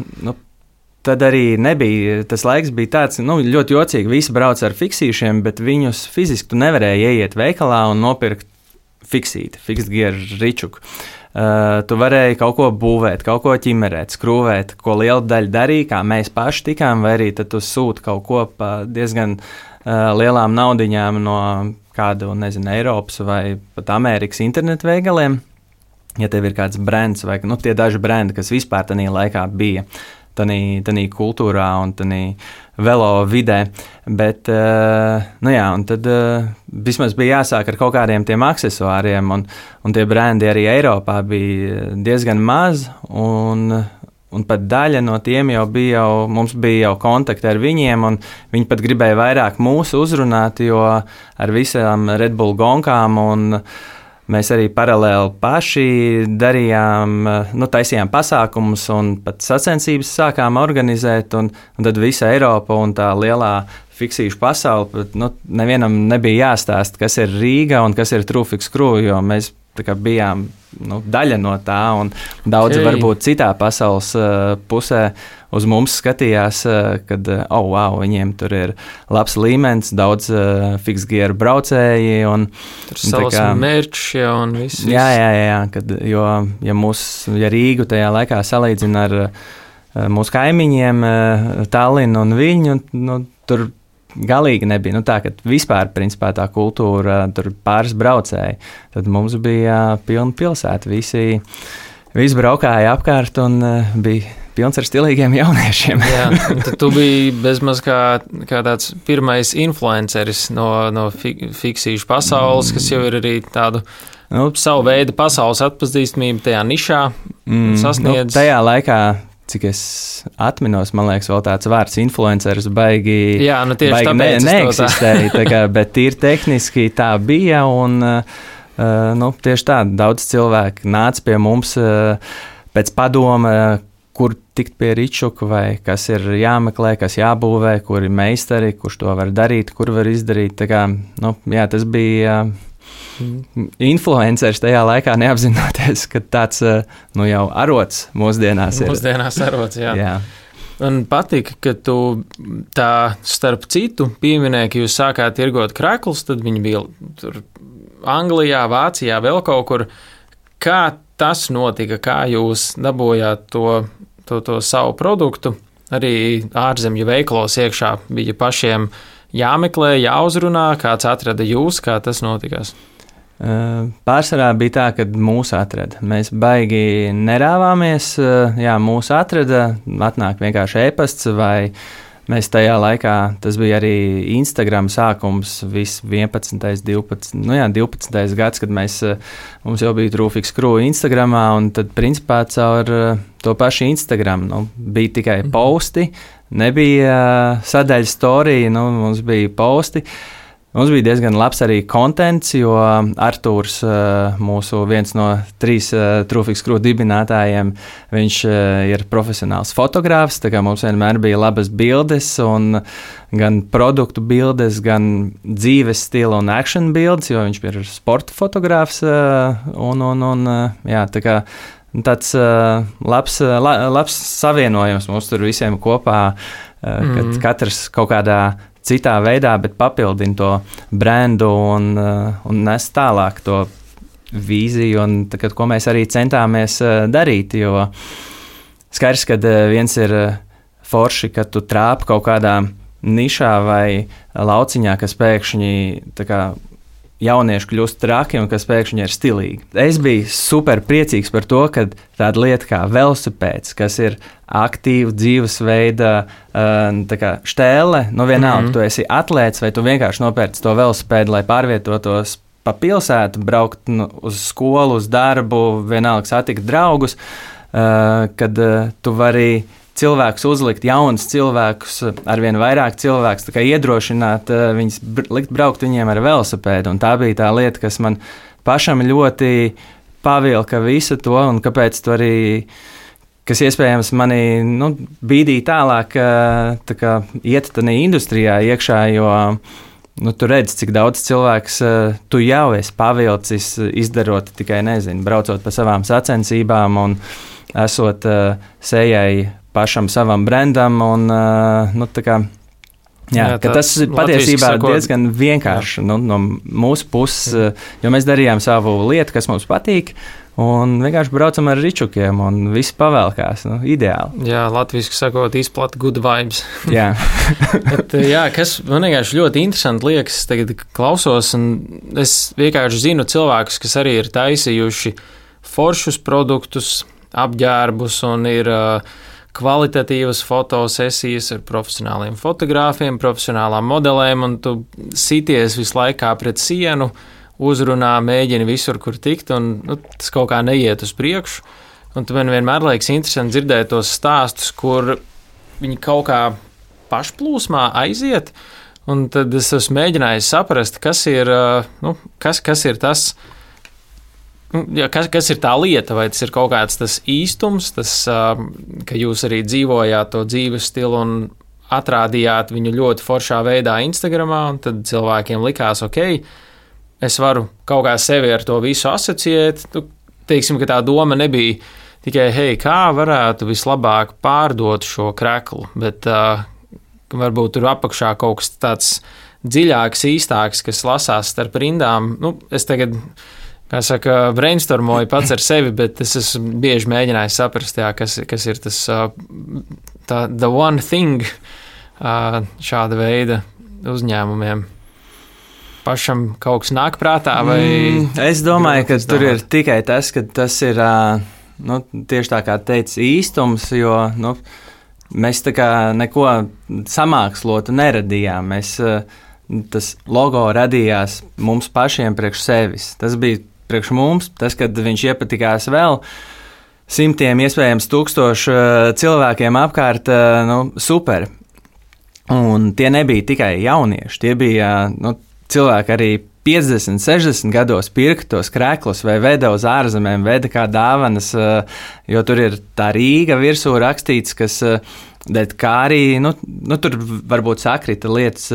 tad arī nebija, tas laiks bija tāds, ļoti jocīgi, visi brauc ar fiksīšiem, bet viņus fiziski tu nevarēji ieiet veikalā un nopirkt fiksīti, fixed gear ričuku. tu varēji kaut ko būvēt, kaut ko ķimerēt, skrūvēt, ko liela daļa darīja, kā mēs paši tikām, vai arī tad tu sūti kaut ko pa diezgan lielām naudiņām no kādu, nezinu, Eiropas vai pat Amerikas internetu veikaliem. Ja tev ir kāds brands vai tie daži brendi, kas vispār tajā laikā bija tanī kultūrā un tanī velo vidē, bet, un tad vismaz bija jāsāk ar kaut kādiem tiem aksesuāriem, un tie brendi arī Eiropā bija diezgan maz, un pat daļa no tiem mums bija jau kontakti ar viņiem, un viņi pat gribēja vairāk mūsu uzrunāt, jo ar visām Red Bull gonkām un mēs arī paralēli paši darījām, taisījām pasākumus un pat sacensības sākām organizēt, un tad visa Eiropa un tā lielā fiksīšu pasaule, nevienam nebija jāstāst, kas ir Rīga un kas ir True-Fix Crew, jo mēs bijām daļa no tā, un daudzi varbūt citā pasaules pusē uz mums skatījās, kad, viņiem tur ir labs līmenis, daudz fiksgieru braucēji. Tur savas mērķi un viss. Jā, ja Rīgu tajā laikā salīdzina ar mūsu kaimiņiem, Tallinu un Viļņu, tur galīgi nebija. Tā, ka vispār, principā, tā kultūra, tur pāris braucēji, tad mums bija pilna pilsēta. Visi braukāja apkārt un bija pilns ar stilīgiem jauniešiem. Jā, tad tu biji bezmaz kā tāds pirmais influenceris no fiksīšu pasaules, kas jau ir arī tādu savu veidu pasaules atpazīstamību tajā nišā sasniedz. Tajā laikā, cik es atminos, man liekas, vēl tāds vārds influenceris baigi neeksistēja, bet tīri tehniski tā bija, un tieši tā, daudz cilvēku nāca pie mums pēc padoma, kur tikt pie Ričuka, vai kas ir jāmeklē, kas jābūvē, kur ir meistari, kurš to var darīt, kur var izdarīt. Tā kā, tas bija influenceris tajā laikā, neapzinoties, ka tāds jau arots mūsdienās ir. Mūsdienās arots, jā. Man patika, ka tu tā starp citu pieminēji, ka jūs sākāt tirgot kreklus, tad viņi bija tur Anglijā, Vācijā, vēl kaut kur. Kā tas notika, kā jūs dabūjāt to savu produktu? Arī ārzemju veikalos iekšā bija pašiem jāmeklē, jāuzrunā, kāds atrada jūs, kā tas notikās? Pārsvarā bija tā, ka mūs atrada. Mēs baigi nerāvāmies, mūs atrada, atnāk vienkārši e-pasts vai mēs tajā laikā, tas bija arī Instagram sākums, viss 11, 12, 12. gads, kad mums jau bija True-Fix Crew Instagramā, un tad principā caur to pašu Instagram, bija tikai posti, nebija sadaļa storija, mums bija posti. Mums bija diezgan labs arī kontents, jo Artūrs, mūsu viens no 3 True-Fix Crew dibinātājiem, viņš ir profesionāls fotogrāfs, tā kā mums vienmēr bija labas bildes, un gan produktu bildes, gan dzīves stila un action bildes, jo viņš ir sporta fotogrāfs, tā kā tāds labs savienojums mums tur visiem kopā, kad katrs kaut kādā citā veidā, bet papildina to brendu un nes tālāk to vīziju, un tagad, ko mēs arī centāmies darīt, jo skaidrs, ka viens ir forši, ka tu trāpi kaut kādā nišā vai lauciņā, kas pēkšņi tā kā jaunieši kļūst traki un kas pēkšņi ir stilīgi. Es biju super priecīgs par to, ka tāda lieta kā velosipēds, kas ir aktīva dzīvesveida štēle, vienalga, tu esi atlēts vai tu vienkārši nopērci to velosipēdu, lai pārvietotos pa pilsētu, braukt uz skolu, uz darbu, vienalga satikt draugus, kad tu vari cilvēkus uzlikt, jaunus cilvēkus, arvien vairāk cilvēkus, tā kā iedrošināt viņus likt braukt viņiem ar velosipēdu. Un tā bija tā lieta, kas man pašam ļoti pavilka visu to, un kāpēc tu arī, kas iespējams mani bīdīja tālāk, tā kā iet tādā industrijā iekšā, jo tu redzi, cik daudz cilvēks tu jau esi pavilcis, izdarot tikai, braucot pa savām sacensībām un esot sejai pašam savam brandam, un tas patiesībā ir diezgan vienkārši no mūsu puses, jo mēs darījām savu lietu, kas mums patīk, Un vienkārši braucam ar ričukiem, un viss pavēlkās. Ideāli. Jā, latviski sakot, izplata good vibes. Jā. Bet, kas man vienkārši ļoti interesanti liekas, tagad klausos, un es vienkārši zinu cilvēkus, kas arī ir taisījuši foršus produktus, apģērbus, un ir kvalitatīvas fotosesijas ar profesionāliem fotogrāfiem, profesionālām modelēm, un tu sities visu laikā pret sienu, uzrunā, mēģini visur, kur tikt, un tas kaut kā neiet uz priekšu. Un man vienmēr liekas interesanti dzirdēt tos stāstus, kur viņi kaut kā pašplūsmā aiziet, un tad es esmu mēģinājis saprast, kas ir tas, kas ir tā lieta, vai tas ir kaut kāds tas īstums, tas, ka jūs arī dzīvojāt to dzīves stilu un atrādījāt viņu ļoti foršā veidā Instagramā, un tad cilvēkiem likās, es varu kaut kā sevi ar to visu asociēt. Teiksim, ka tā doma nebija tikai, kā varētu vislabāk pārdot šo kreklu, bet varbūt tur apakšā kaut kas tāds dziļāks, īstāks, kas lasās starp rindām. Es tagad, kā saka, brainstormoju pats ar sevi, bet es esmu bieži mēģinājis saprast, kas ir tas the one thing šāda veida uzņēmumiem. Pašam kaut kas nāk prātā? Vai es domāju, ka tur ir tikai tas, ka tas ir tieši tā kā teica īstums, jo mēs tā kā neko samākslotu neradījām. Tas logo radījās mums pašiem priekš sevis. Tas bija priekš mums, tas, kad viņš iepatikās vēl simtiem, iespējams 1000 cilvēkiem apkārt, super. Un tie nebija tikai jaunieši, tie bija cilvēki arī 50, 60 gados pirka tos kreklus vai veda uz ārzemēm, veda kā dāvanas, jo tur ir tā Rīga virsū rakstīts, kas dēļ kā arī, tur varbūt sakrita lietas,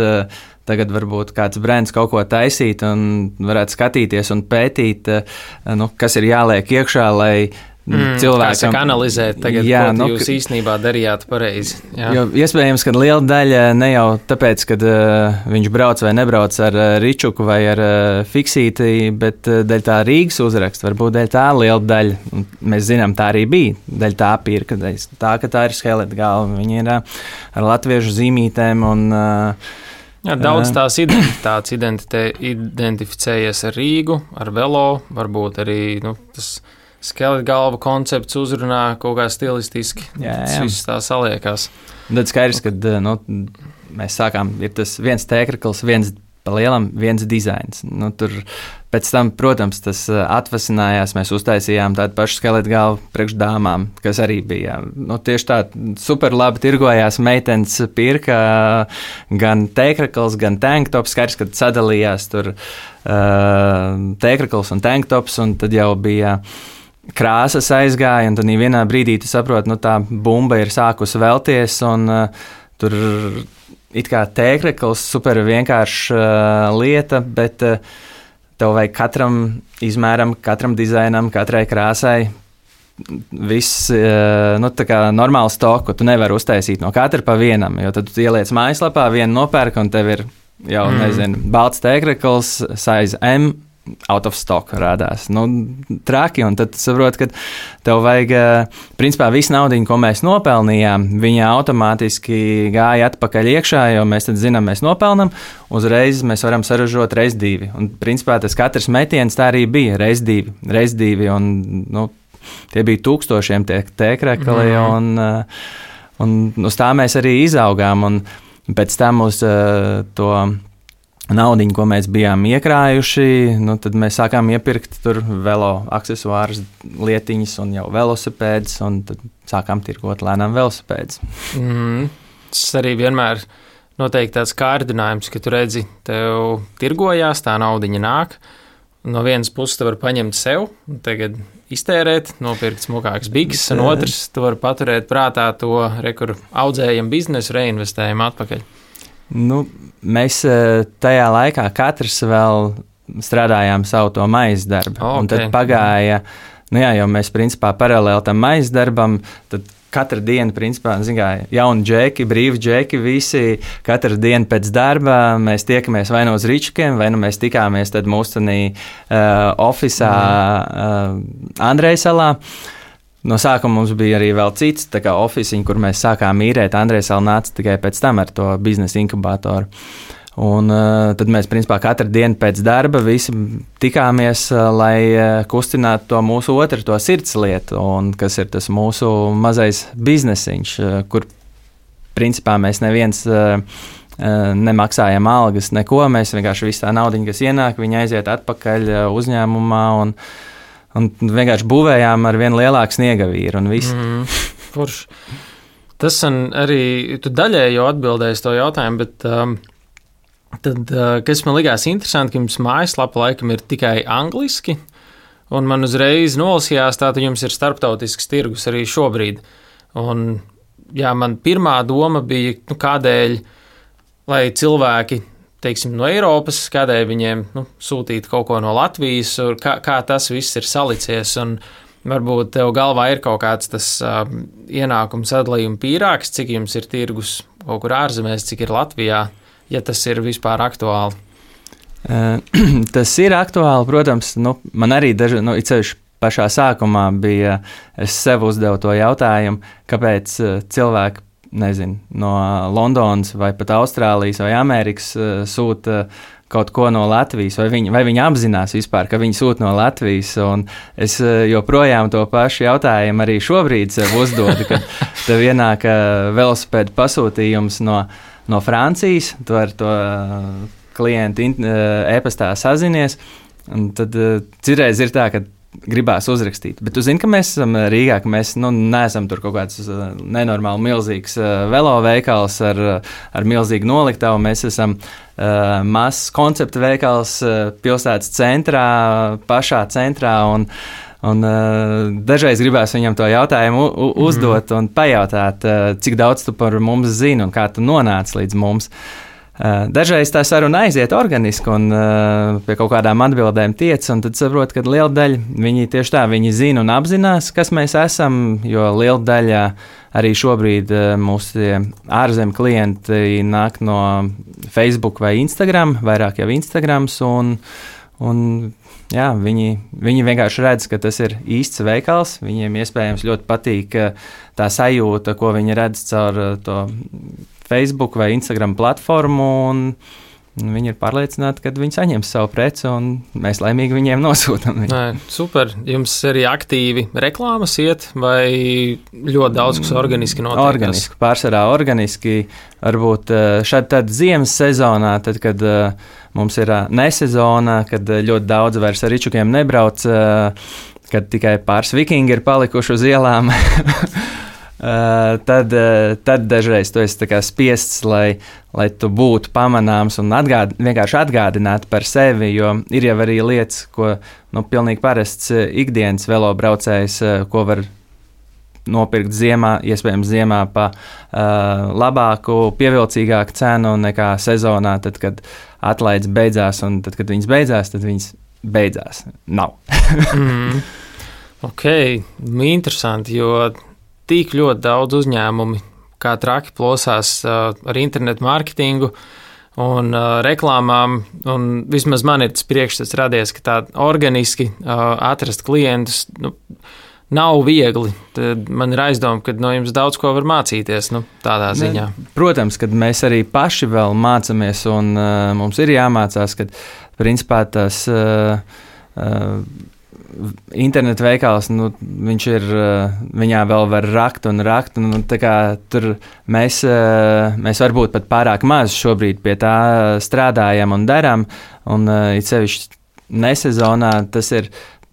tagad varbūt kāds brands kaut ko taisīt un varētu skatīties un pētīt, kas ir jāliek iekšā, lai cilvēkam analizēt tagad, ko jūs īstenībā darījāt pareizi. Jā. Jo iespējams, ka liela daļa ne jau tāpēc, kad viņš brauc vai nebrauc ar ričuku vai ar fiksīti, bet dēļ tā Rīgas uzraksta, varbūt dēļ tā liela daļa. Mēs zinām, tā arī bija, dēļ tā pirka, dēļ tā, ka tā ir skeleta galva. Viņi ir ar latviešu zīmītēm un jā, daudz tās identitātes identificējies ar Rīgu, ar Velo, varbūt arī tas skeleta galva koncepts uzrunā kaut kā stilistiski. Tas viss tā saliekās. Tad skaidrs, kad mēs sākām, ir tas viens tēkrakls, viens pa lielam, viens dizains. Tur pēc tam, protams, tas atvasinājās, mēs uztaisījām tādu pašu skeleta galvu priekš dāmām, kas arī bija. Tieši tā super labi tirgojās, meitenes pirka gan tēkrakls, gan tanktops, skaidrs, kad sadalījās tur tēkrakls un tanktops, un tad jau bija krāsas aizgāja, un tad vienā brīdī tu saproti, tā bumba ir sākusi velties, un tur it kā tēkrakls super vienkārša lieta, bet tev vajag katram izmēram, katram dizainam, katrai krāsai viss, tā kā normālu stoku tu nevari uztaisīt no katra pa vienam, jo tad tu ieliec mājaslapā, vienu nopērk, un tev ir jau, balts tēkrakls, size M, out of stock rādās. Traki, un tad saprot, ka tev vajag, principā, visu naudiņu, ko mēs nopelnījām, viņa automātiski gāja atpakaļ iekšā, jo mēs tad zinām, mēs nopelnam, uzreiz mēs varam saražot reiz 2. Un, principā, tas katrs metiens tā arī bija reiz 2, un, tie bija 1000 tie tēkrakli, un uz tā mēs arī izaugām, un pēc tam uz to naudiņu, ko mēs bijām iekrājuši, tad mēs sākām iepirkt tur velo aksesuārus, lietiņas un jau velosipēdus, un tad sākām tirgot lēnām velosipēdus. Tas arī vienmēr noteikti tāds kārdinājums, ka tu redzi, tev tirgojās, tā naudiņa nāk, no vienas puses tu vari paņemt sev, un tagad iztērēt, nopirkt smukāks biks, un otrs tu vari paturēt prātā to, kur audzējam biznesu, reinvestējam atpakaļ. Mēs tajā laikā katrs vēl strādājām savu to maizes darbu. Un tad pagāja, jo mēs principā paralēli tam maizes darbam, tad katru dienu, principā, jauni džeki, brīvi džeki, visi katru dienu pēc darba mēs tiekamies vai no uz Ričukiem, vai nu mēs tikāmies tad mūstenī ofisā Andrejsalā. No sākuma mums bija arī vēl cits ofisiņi, kur mēs sākām īrēt. Andrejsala nāca tikai pēc tam ar to biznesa inkubatoru. Un tad mēs, principā, katru dienu pēc darba visi tikāmies, lai kustinātu to mūsu otru, to sirdslietu, un kas ir tas mūsu mazais biznesiņš, kur, principā, mēs neviens nemaksājam algas, neko, mēs vienkārši visu tā naudiņu, kas ienāk, viņi aiziet atpakaļ uzņēmumā, un vienkārši būvējām ar vien lielāku sniegavīru, un viss. Forši. Tas arī, tu daļēji jau atbildēji to jautājumu, bet... Tad, kas man likās interesanti, ka jums mājaslapa laikam ir tikai angliski, un man uzreiz nolasījās, tātad jums ir starptautisks tirgus arī šobrīd. Un, jā, man pirmā doma bija, kādēļ, lai cilvēki, teiksim, no Eiropas, kādēļ viņiem sūtīt kaut ko no Latvijas, kā tas viss ir salicies, un varbūt tev galvā ir kaut kāds tas ienākums sadalījuma pīrāgs, cik jums ir tirgus kaut kur ārzemēs, cik ir Latvijā. Ja tas ir vispār aktuāli? Tas ir aktuāli, protams. Man arī it sevišķi pašā sākumā bija, es sev uzdevu to jautājumu, kāpēc cilvēki, no Londonas vai pat Austrālijas vai Amerikas sūta kaut ko no Latvijas, vai viņi apzinās vispār, ka viņi sūta no Latvijas, un es joprojām to pašu jautājumu arī šobrīd sev uzdodu, kad tev ienāk velosipēdu pasūtījums no Francijas, tu ar to klientu e-pastā sazinies, un tad citreiz ir tā, ka gribās uzrakstīt. Bet tu zini, ka mēs esam Rīgā, ka mēs neesam tur kaut kāds nenormāli milzīgs veloveikals ar milzīgu noliktavu. Mēs esam mazs koncepta veikals pilsētas centrā, pašā centrā, un dažreiz gribās viņam to jautājumu uzdot un pajautāt, cik daudz tu par mums zini un kā tu nonāc līdz mums. Dažreiz tā saruna aiziet organiski un pie kaut kādām atbildēm tiec, un tad saprot, ka liela daļa viņi tieši tā, viņi zina un apzinās, kas mēs esam, jo liela daļa arī šobrīd mūsu ārzemju klienti nāk no Facebook vai Instagram, vairāk jau Instagrams, un jā, viņi vienkārši redz, ka tas ir īsts veikals, viņiem iespējams ļoti patīk tā sajūta, ko viņi redz caur to Facebook vai Instagram platformu, un viņi ir pārliecināti, ka viņi saņems savu preci, un mēs laimīgi viņiem nosūtam. Super. Jums arī aktīvi reklāmas iet, vai ļoti daudz, kas organiski notiek? Organiski, pārsvarā organiski. Varbūt šad tad ziemas sezonā, tad, kad mums ir nesezona, kad ļoti daudz vairs ar ričukiem nebrauc, kad tikai pāris vikingi ir palikuši uz ielām. Tad dažreiz tu esi spiests, lai tu būtu pamanāms un vienkārši atgādināt par sevi, jo ir jau arī lietas, ko pilnīgi parasts ikdienas velobraucējs, ko var nopirkt ziemā, iespējams ziemā pa labāku, pievilcīgāku cenu nekā sezonā, tad, kad atlaides beidzās, un tad, kad viņas beidzās, tad viņas beidzās. Nav. Ok, interesanti, jo tik ļoti daudz uzņēmumi, kā traki plosās ar internetu mārketingu un reklāmām, un vismaz man ir tas priekšstats radies, ka tā organiski atrast klientus nav viegli. Tad man ir aizdoma, ka no jums daudz ko var mācīties tādā ziņā. Protams, kad mēs arī paši vēl mācāmies, un mums ir jāmācās, ka principā tas internetu veikals, viņš ir, viņā vēl var rakt, un tā kā tur mēs varbūt pat pārāk maz šobrīd pie tā strādājam un darām, un it sevišķi nesezonā tas ir,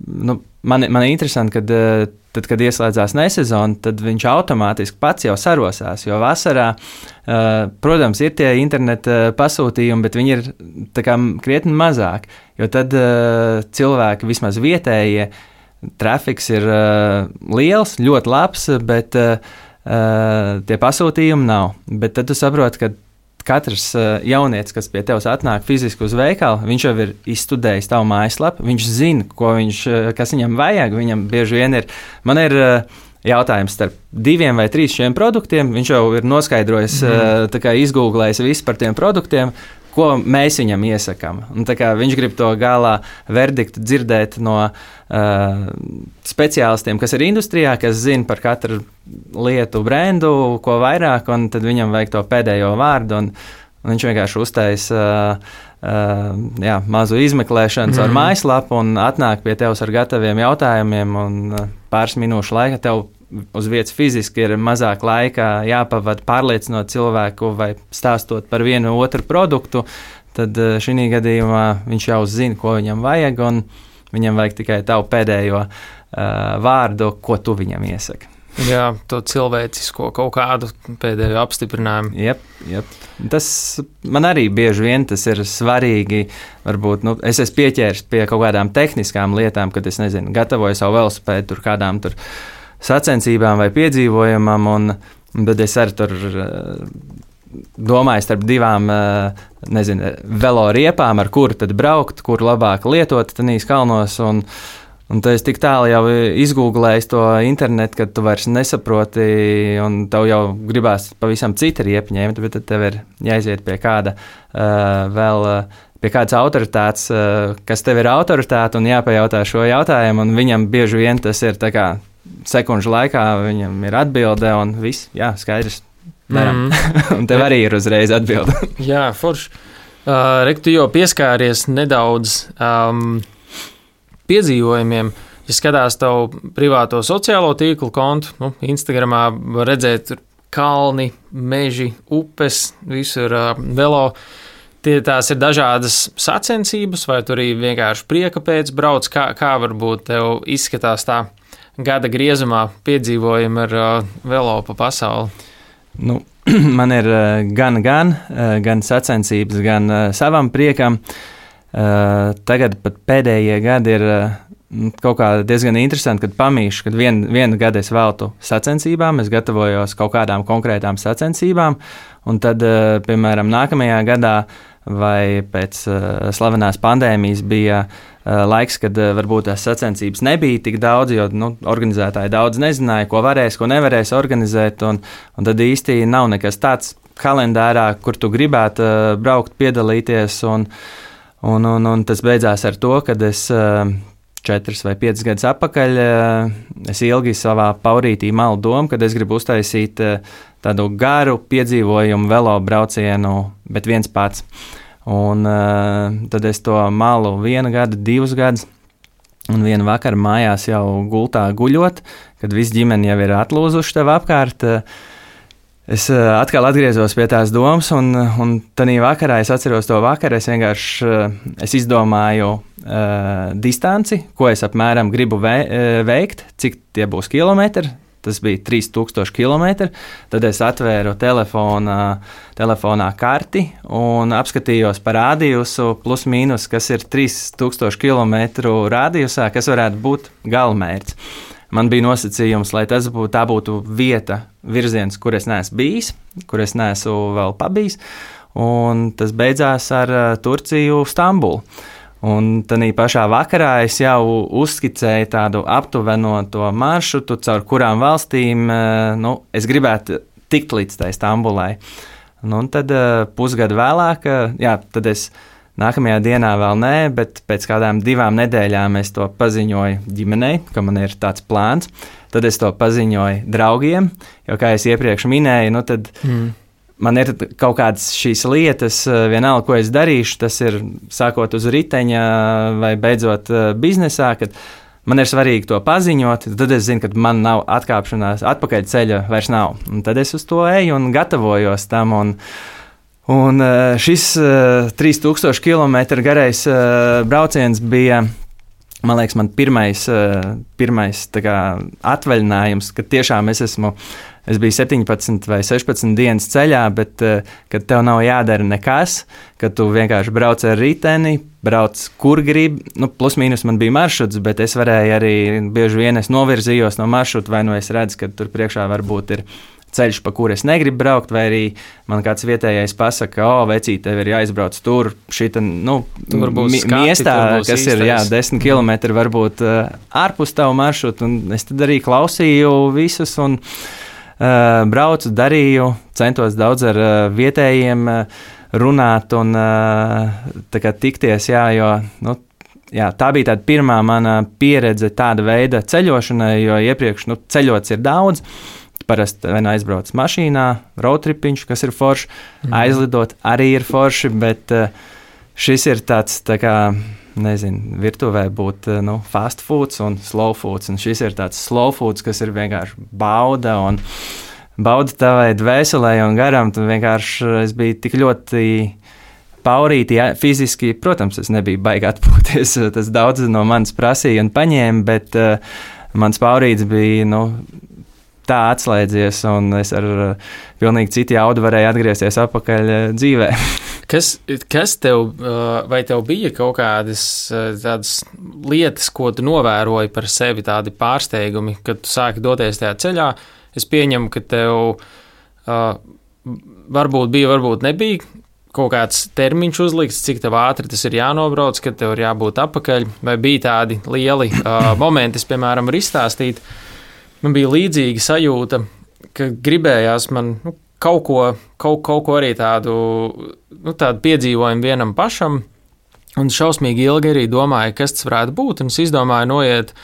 man ir interesanti, kad tad, kad ieslēdzās nesezona, tad viņš automātiski pats jau sarosās, jo vasarā, protams, ir tie interneta pasūtījumi, bet viņi ir tā kā krietni mazāk, jo tad cilvēki vismaz vietējie, trafiks ir liels, ļoti labs, bet tie pasūtījumi nav. Bet tad tu saproti, ka katrs jaunietis, kas pie tevis atnāk fiziski uz veikalu, viņš jau ir izstudējis tavu mājaslapu, viņš zina, kas viņam vajag, viņam bieži vien ir. Man ir jautājums starp 2 vai 3 šiem produktiem. Viņš jau ir noskaidrojis, tā kā izgooglējis visu par tiem produktiem, ko mēs viņam iesakām. Un tā kā viņš grib to galā verdiktu dzirdēt no speciālistiem, kas ir industrijā, kas zina par katru lietu brendu, ko vairāk, un tad viņam vajag to pēdējo vārdu, un viņš vienkārši uztaisa mazu izmeklēšanu ar mājaslapu un atnāk pie tevis ar gataviem jautājumiem, un pāris minūšu laika tev uz vietas fiziski ir mazāk laika jāpavada pārliecinot cilvēku vai stāstot par vienu otru produktu, tad šī gadījumā viņš jau zina, ko viņam vajag, un viņam vajag tikai tavu pēdējo vārdu, ko tu viņam iesaki. Jā, to cilvēcisko kaut kādu pēdējo apstiprinājumu. Jep. Tas man arī bieži vien tas ir svarīgi. Varbūt es esmu pieķēries pie kaut kādām tehniskām lietām, kad es gatavoju savu velosipēdu tur kādām tur sacensībām vai piedzīvojumam, bet es arī tur domāju starp 2 velo riepām, ar kuru tad braukt, kur labāk lietot tenīs kalnos, un tad es tik tālu jau izgooglēju to internetu, ka tu vairs nesaproti, un tev jau gribās pavisam cita riepa ņemt, bet tad tev ir jāiziet pie kāda pie kādas autoritātes, kas tev ir autoritāte, un jāpajautā šo jautājumu, un viņam bieži vien tas ir tā kā sekundžu laikā, viņam ir atbilde, un viss, jā, skaidrs, daram. Un tev arī ir uzreiz atbilde. Jā, forši. Rek, tu jau pieskāries nedaudz piedzīvojumiem. Ja skatās tavu privāto sociālo tīklu kontu, Instagramā var redzēt kalni, meži, upes, visur velo. Tās ir dažādas sacensības, vai tu arī vienkārši prieka pēc brauc, kā varbūt tev izskatās tā gada griezumā piedzīvojumi ar velo pa pasauli? Man ir gan sacensības, gan savam priekam. Tagad pat pēdējie gadi ir kaut kā diezgan interesanti, kad pamīšu, kad vienu gadu es veltu sacensībām, es gatavojos kaut kādām konkrētām sacensībām, un tad, piemēram, nākamajā gadā vai pēc slavenās pandēmijas bija laiks, kad varbūt tās sacensības nebija tik daudz, jo organizētāji daudz nezināja, ko varēs, ko nevarēs organizēt, un tad īsti nav nekas tāds kalendārā, kur tu gribētu braukt, piedalīties, un tas beidzās ar to, kad es 4 vai 5 gadus atpakaļ es ilgi savā paurītī malu domu, kad es gribu uztaisīt tādu garu piedzīvojumu velo braucienu, bet viens pats. Un tad es to malu 1 gadu, 2 gadus, un vienu vakaru mājās jau gultā guļot, kad visi ģimeni jau ir atlūzuši tev apkārt. Es atkal atgriezos pie tās domas, un tanī vakarā es atceros to vakaru. Es vienkārši izdomāju distanci, ko es apmēram gribu veikt, cik tie būs kilometri. Tas bija 3000 km. Tad es atvēru telefonā karti un apskatījos par radiusu plus mīnus, kas ir 3000 km radiusā, kas varētu būt galamērķis. Man bija nosacījums, lai tā būtu vieta, virziens, kur es neesmu bijis, kur es neesmu vēl pabijis, un tas beidzās ar Turciju, Stambulu. Un tad pašā vakarā es jau uzskicēju tādu aptuveno to maršrutu, caur kurām valstīm es gribētu tikt līdz tai Stambulai. Un tad pusgadu vēlāk, tad es nākamajā dienā vēl nē, bet pēc kādām 2 nedēļām es to paziņoju ģimenei, ka man ir tāds plāns. Tad es to paziņoju draugiem, jo, kā es iepriekš minēju, tad man ir kaut kādas šīs lietas, vienalga, ko es darīšu, tas ir sākot uz riteņa vai beidzot biznesā, kad man ir svarīgi to paziņot, tad es zinu, ka man nav atkāpšanās, atpakaļ ceļa vairs nav. Un tad es uz to eju un gatavojos tam, un šis 3000 km garais brauciens bija, man liekas, man pirmais tā kā atvaļinājums, kad tiešām es biju 17 vai 16 dienas ceļā, bet kad tev nav jādara nekas, kad tu vienkārši brauc ar riteni, brauc kur gribi, plus mīnus man bija maršruts, bet es varēju arī bieži vien novirzījos no maršruta, vai es redzu, ka tur priekšā varbūt ir ceļš, pa kuru es negribu braukt, vai arī man kāds vietējais pasaka, vecīt, tev ir jāizbrauc tur, šita, miestā, kas ir, 10 kilometri varbūt ārpus tavu maršrutu, un es tad arī klausīju visus un braucu, darīju, centos daudz ar vietējiem runāt un tā kā tikties, jo, tā bija tāda pirmā mana pieredze tāda veida ceļošanai, jo iepriekš, ceļots ir daudz. Parasti aizbrauc mašīnā, roadtripiņš, kas ir forši, aizlidot arī ir forši, bet šis ir tāds, tā kā, virtuvē būt, fast foods un slow foods, un šis ir tāds slow foods, kas ir vienkārši bauda tavai dvēselē un garam, tu vienkārši, es biju tik ļoti paurīti, fiziski, protams, es nebiju baigi atpūties, tas daudz no manis prasīja un paņēma, bet mans paurīts bija, tā atslēdzies, un es ar pilnīgi citu jaudu varēju atgriezties atpakaļ dzīvē. Kas tev, vai tev bija kaut kādas tādas lietas, ko tu novēroji par sevi, tādi pārsteigumi, kad tu sāki doties tajā ceļā? Es pieņemu, ka tev varbūt bija, varbūt nebija kaut kāds termiņš uzlikts, cik tev ātri tas ir jānobrauc, kad tev ir jābūt atpakaļ, vai bija tādi lieli momenti, es, piemēram, varu izstāstīt. Man bija līdzīga sajūta, ka gribējās man kaut ko arī tādu piedzīvojumu vienam pašam, un šausmīgi ilgi arī domāju, kas tas varētu būt, un es izdomāju noiet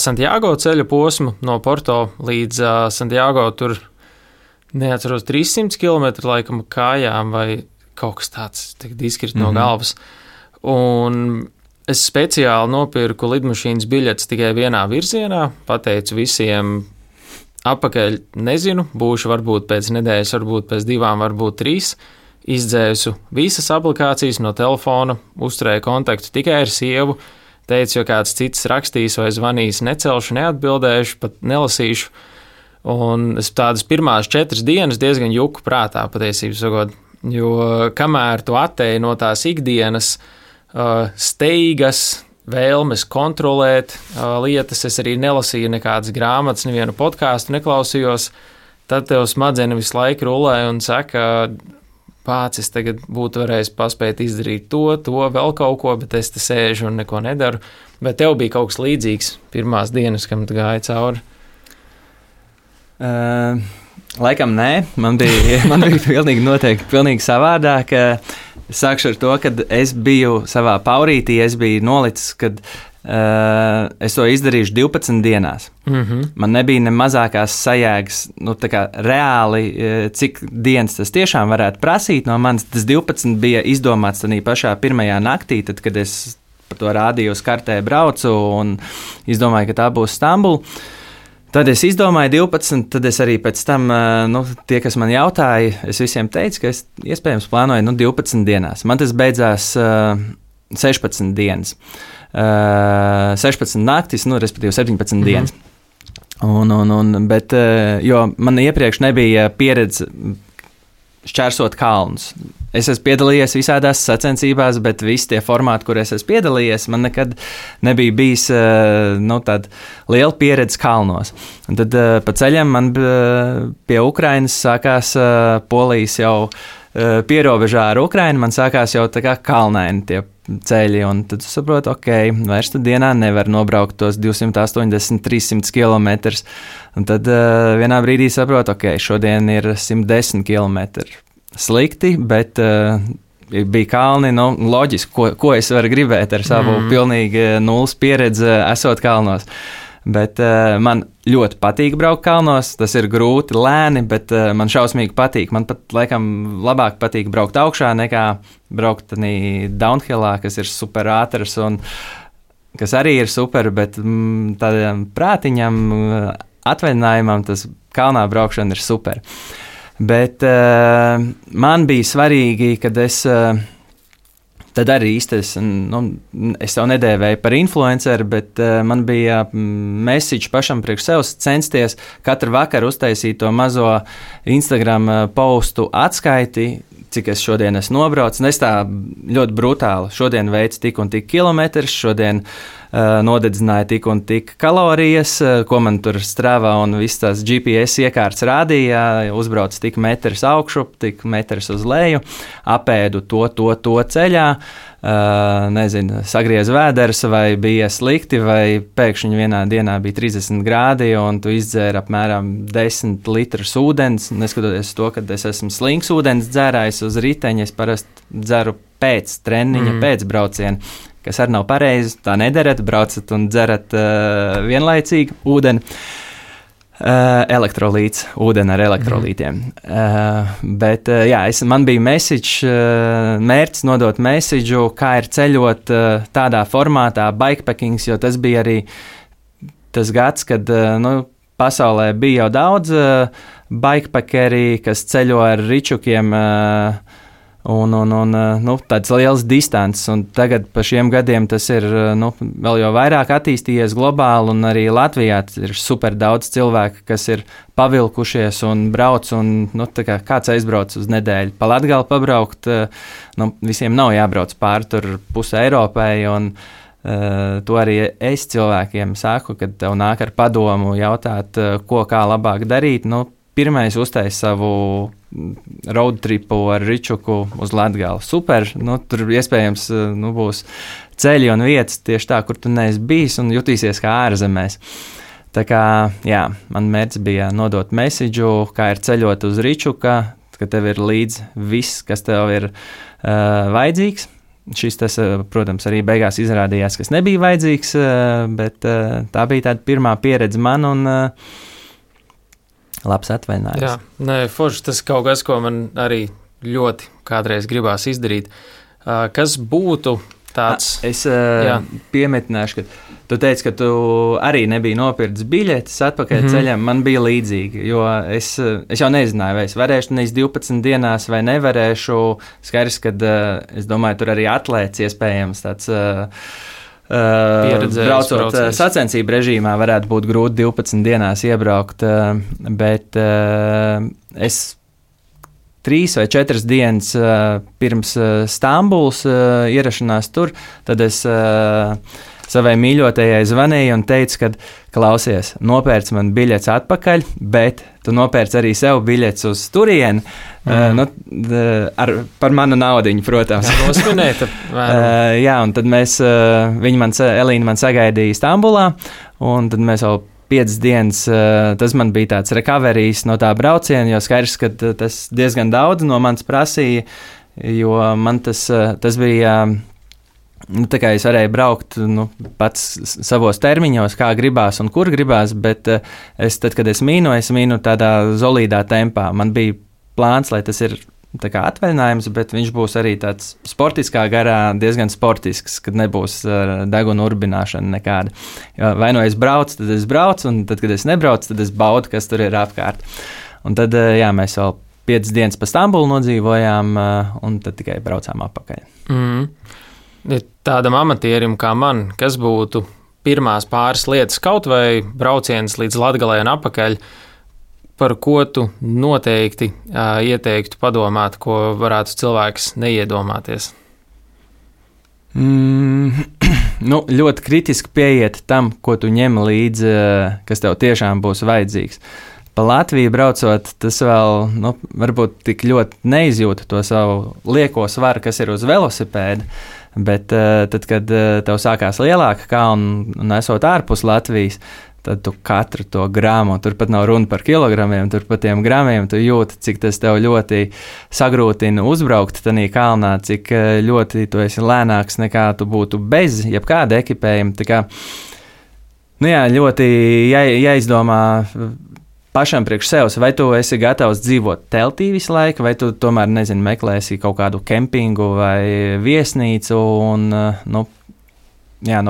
Santiago ceļa posmu no Porto līdz Santiago, tur neatceros 300 km laikam kājām vai kaut kas tāds, tagad izkrit no galvas, un es speciāli nopirku lidmašīnas biļetes tikai vienā virzienā, pateicu visiem atpakaļ, nezinu, būšu varbūt pēc nedēļas, varbūt pēc 2, varbūt 3, izdzēsu visas aplikācijas no telefona, uzturēju kontaktu tikai ar sievu, teicu, jo kāds cits rakstīs vai zvanīs, necelšu, neatbildēšu, pat nelasīšu, un es tādas pirmās 4 dienas diezgan juku prātā patiesībā sakot, jo kamēr tu atteji no tās ikdienas steigas, vēlmes kontrolēt lietas, es arī nelasīju nekādas grāmatas, nevienu podkāstu neklausījos, tad tev smadzenes visu laiku rulē un saka, pats es tagad būtu varējis paspēt izdarīt to, vēl kaut ko, bet es te sēžu un neko nedaru. Bet tev bija kaut kas līdzīgs pirmās dienas, kam tu gāji cauri? Laikam nē, man bija pilnīgi noteikti pilnīgi savādāk. Sākšu ar to, kad es biju savā paurītī, es biju nolicis, kad es to izdarīšu 12 dienās. Man nebija ne mazākās sajēgas, tā kā reāli, cik dienas tas tiešām varētu prasīt no manis. Tas 12 bija izdomāts tādā pašā pirmajā naktī, tad, kad es par to rādīju uz kartē braucu un izdomāju, ka tā būs Stambula. Tad es izdomāju 12, tad es arī pēc tam, tie, kas man jautāja, es visiem teicu, ka es iespējams plānoju 12 dienās. Man tas beidzās 16 dienas. 16 naktis, respektīvi 17 dienas. Bet, jo man iepriekš nebija pieredze šķērsot kalnus. Es esmu piedalījies visādās sacensībās, bet visi tie formāti, kur es esmu piedalījies, man nekad nebija bijis tāda liela pieredze kalnos. Un tad pa ceļam man pie Ukrainas sākās Polijas jau pierobežā ar Ukrainu, man sākās jau tā kā kalnaini tie ceļi, un tad saprotu, vairs tu dienā nevar nobraukt tos 280-300 kilometrus, un tad vienā brīdī saprotu, šodien ir 110 kilometri. Slikti, bet bija kalni, loģiski, ko es varu gribēt ar savu pilnīgi nulles pieredzi esot kalnos. Bet man ļoti patīk braukt kalnos, tas ir grūti, lēni, bet man šausmīgi patīk. Man pat laikam labāk patīk braukt augšā nekā braukt downhillā, kas ir super ātrs un kas arī ir super, bet tādam prātiņam, atvaļinājumam tas kalnā braukšana ir super. Bet man bija svarīgi, kad es tad arī īsti es jau nedēvēju par influenceru, bet man bija message pašam priekš sevis censties katru vakaru uztaisīt to mazo Instagram postu atskaiti, cik es šodien esmu nobraucis. Es tā ļoti brutāli. Šodien veicu tik un tik kilometrus, šodien nodedzināja tik un tik kalorijas, ko man tur strāvā un viss tās GPS iekārts rādīja, uzbrauc tik metrs augšup, tik metrs uz leju, apēdu to ceļā, nezinu, sagriez vēders vai bija slikti, vai pēkšņi vienā dienā bija 30 grādi un tu izdzēri apmēram 10 litrus ūdens, neskatoties to, ka es esmu slings ūdens dzērājs uz riteņa, es parasti dzeru pēc treniņa, pēc brauciena, kas arī nav pareizi, tā nedarat, braucat un dzerat vienlaicīgi ūdeni. Elektrolīts, ūdeni ar elektrolītiem. Bet jā, man bija mērķis nodot mēsidžu, kā ir ceļot tādā formātā bikepackings, jo tas bija arī tas gads, kad pasaulē bija jau daudz bikepackeri, kas ceļo ar ričukiem un tāds liels distances, un tagad pa šiem gadiem tas ir vēl jau vairāk attīstījies globāli, un arī Latvijā ir super daudz cilvēku, kas ir pavilkušies un brauc, un tā kā kāds aizbrauc uz nedēļu pa Latgali pabraukt, visiem nav jābrauc pāri tur pusē Eiropai, un to arī es cilvēkiem saku, kad tev nāk ar padomu jautāt, ko kā labāk darīt, pirmais uztais savu road tripu ar ričuku uz Latgali. Super, tur iespējams būs ceļi un vietas tieši tā, kur tu neesi bijis un jutīsies kā ārzemēs. Tā kā, jā, man mērķis bija nodot mēsidžu, kā ir ceļot uz ričuka, ka tev ir līdz viss, kas tev ir vajadzīgs. Tas, protams, arī beigās izrādījās, kas nebija vajadzīgs, bet tā bija tāda pirmā pieredze man un labs atvaļinājums. Jā, forši tas kaut kas, ko man arī ļoti kādreiz gribās izdarīt. Kas būtu tāds? Es piemetināšu, ka tu teici, ka tu arī nebija nopircis biļetes atpakaļ ceļam. Man bija līdzīgi, jo es jau nezināju, vai es varēšu nevis 12 dienās vai nevarēšu. Skaidrs, kad es domāju, tur arī atlēts iespējams tāds braucot sacensību režīmā varētu būt grūti 12 dienās iebraukt, bet es 3 vai 4 dienas pirms Stambulas ierašanās tur, tad es savai mīļotajai zvanīju un teicu, ka klausies, nopērc man biļetes atpakaļ, bet tu nopērc arī sev biļetes uz turieni, par manu naudiņu, protams. Jā, un tad Elīna man sagaidīja Stambulā, un tad mēs vēl 5 dienas, tas man bija tāds recoverijs no tā brauciena, jo skaidrs, ka tas diezgan daudz no manis prasīja, jo man tas bija... tā kā es varēju braukt pats savos termiņos, kā gribās un kur gribās, bet tad, kad es mīnu tādā solīdā tempā. Man bija plāns, lai tas ir tā kā atvaļinājums, bet viņš būs arī tāds sportiskā garā, diezgan sportisks, kad nebūs deguna urbināšana nekāda. Vai es braucu, tad es braucu, un tad, kad es nebraucu, tad es baudu, kas tur ir apkārt. Un tad, jā, mēs vēl 5 dienas pa Stambulu nodzīvojām, un tad tikai braucām atpakaļ. Tādam amatierim kā man, kas būtu pirmās pāris lietas, kaut vai brauciens līdz Latgalei un atpakaļ, par ko tu noteikti ieteiktu padomāt, ko varētu cilvēks neiedomāties? Ļoti kritiski pieiet tam, ko tu ņem līdzi, kas tev tiešām būs vajadzīgs. Pa Latviju braucot, tas vēl varbūt tik ļoti neizjūta to savu lieko svaru, kas ir uz velosipēda. Bet tad, kad tev sākās lielāka kalna un esot ārpus Latvijas, tad tu katru to gramu, tur pat nav runa par kilogramiem, tur pat tiem gramiem tu jūti, cik tas tev ļoti sagrūtina uzbraukt tanī kalnā, cik ļoti tu esi lēnāks nekā tu būtu bez jebkāda ekipējuma. Tā kā, ļoti jāizdomā pašam priekš sevis, vai tu esi gatavs dzīvot teltī visu laiku, vai tu tomēr, meklēsi kaut kādu kempingu vai viesnīcu, un, no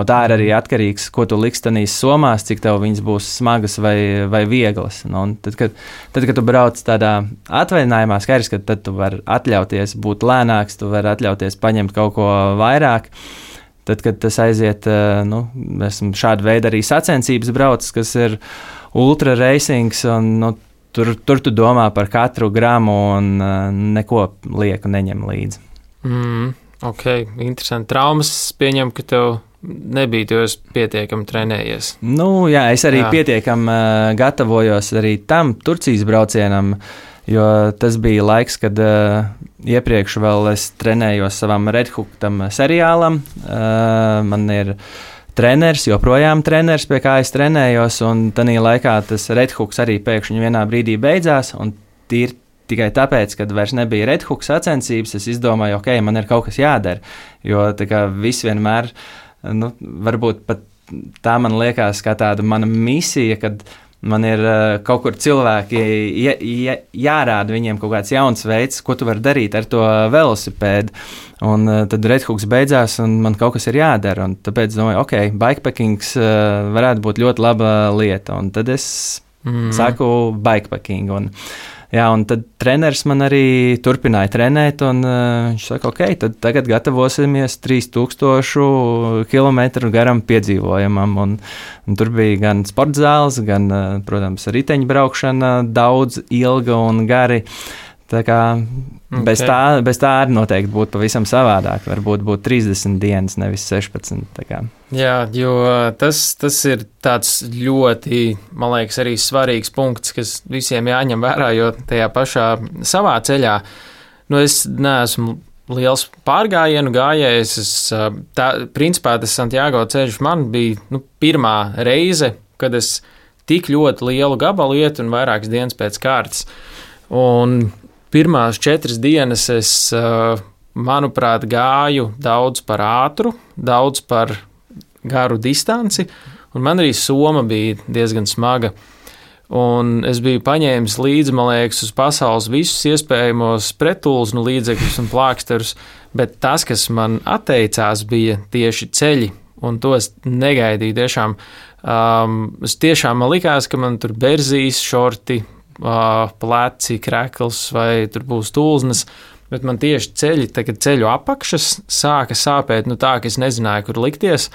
tā ir arī atkarīgs, ko tu liksi tanīs somās, cik tev viņas būs smagas vai vieglas. Tad, kad tu brauc tādā atvaļinājumā, skaidrs, ka tad tu vari atļauties būt lēnāks, tu vari atļauties paņemt kaut ko vairāk. Tad, kad tas aiziet, esmu šādu veidu arī sacensības braucis, kas ir ultra racings, un tur tu domā par katru gramu un neko lieku neņem līdzi. Ok, interesanti. Traumas pieņem, ka tev nebija, jo es pietiekami trenējies? Nu, jā, es arī pietiekami gatavojos arī tam Turcijas braucienam, jo tas bija laiks, kad iepriekš vēl es trenējos savam Red Hook tam seriālam. Man ir treneris, joprojām treneris, pie kā es trenējos, un tanī laikā tas Red Hooks arī pēkšņi vienā brīdī beidzās, un tīri tikai tāpēc, kad vairs nebija Red Hook sacensības, es izdomāju, ok, man ir kaut kas jādara, jo tā kā viss vienmēr, nu, varbūt pat tā man liekas kā tāda mana misija, kad man ir kaut kur cilvēki jārāda viņiem kaut kāds jauns veids, ko tu vari darīt ar to velosipēdu. Un tad Red Hooks beidzās, un man kaut kas ir jādara. Un tāpēc domāju, ok, bikepackings varētu būt ļoti laba lieta. Un tad es saku bikepacking. Un tad treneris man arī turpināja trenēt, un viņš saka, ok, tad tagad gatavosimies 3000 kilometru garam piedzīvojumam. Un tur bija gan sporta zāles, gan, protams, riteņbraukšana daudz, ilga un gari. Tā kā bez tā arī noteikti būtu pavisam savādāk. Varbūt būtu 30 dienas, nevis 16. Jā, jo tas ir tāds ļoti, man liekas, arī svarīgs punkts, kas visiem jāņem vērā, jo tajā pašā savā ceļā, nu es neesmu liels pārgājienu gājējs. Principā tas Santiago ceļš man bija pirmā reize, kad es tik ļoti lielu gabalu ietu un vairākas dienas pēc kārtas. Un pirmās 4 dienas es, manuprāt, gāju daudz par ātru, daudz par garu distanci, un man arī soma bija diezgan smaga. Un es biju paņēmis līdzi, man liekas, uz pasaules visus iespējamos pretulznu līdzekļus un plāksterus, bet tas, kas man atteicās, bija tieši ceļi, un to es negaidīju tiešām. Es tiešām man likās, ka man tur berzīs, šorti, pleci, krekls vai tur būs tulznas, bet man tieši ceļi, tagad ceļu apakšas sāka sāpēt, tā, ka es nezināju, kur likties.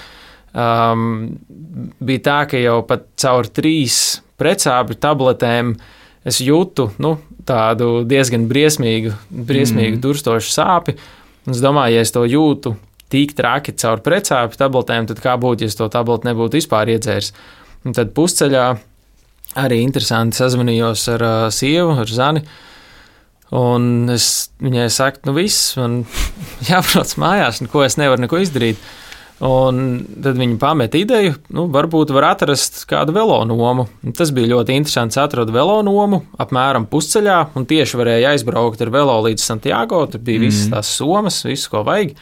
Bija tā, ka jau pat caur 3 pretsāpju tabletēm es jūtu, tādu diezgan briesmīgu durstošu sāpi, un es domāju, ja es to jūtu tik traki caur pretsāpju tabletēm, tad kā būtu, ja es to tableti nebūtu vispār iedzēris. Un tad pusceļā arī interesanti sazvanījos ar sievu, ar Zani, un es viņai saku, viss, man jābrauc mājās, ko es nevaru neko izdarīt. Un tad viņi pameta ideju, varbūt var atrast kādu velonomu. Tas bija ļoti interesants, atradu velonomu apmēram pusceļā, un tieši varēja aizbraukt ar velo līdz Santiago, tur bija visas tās somas, visu, ko vajag.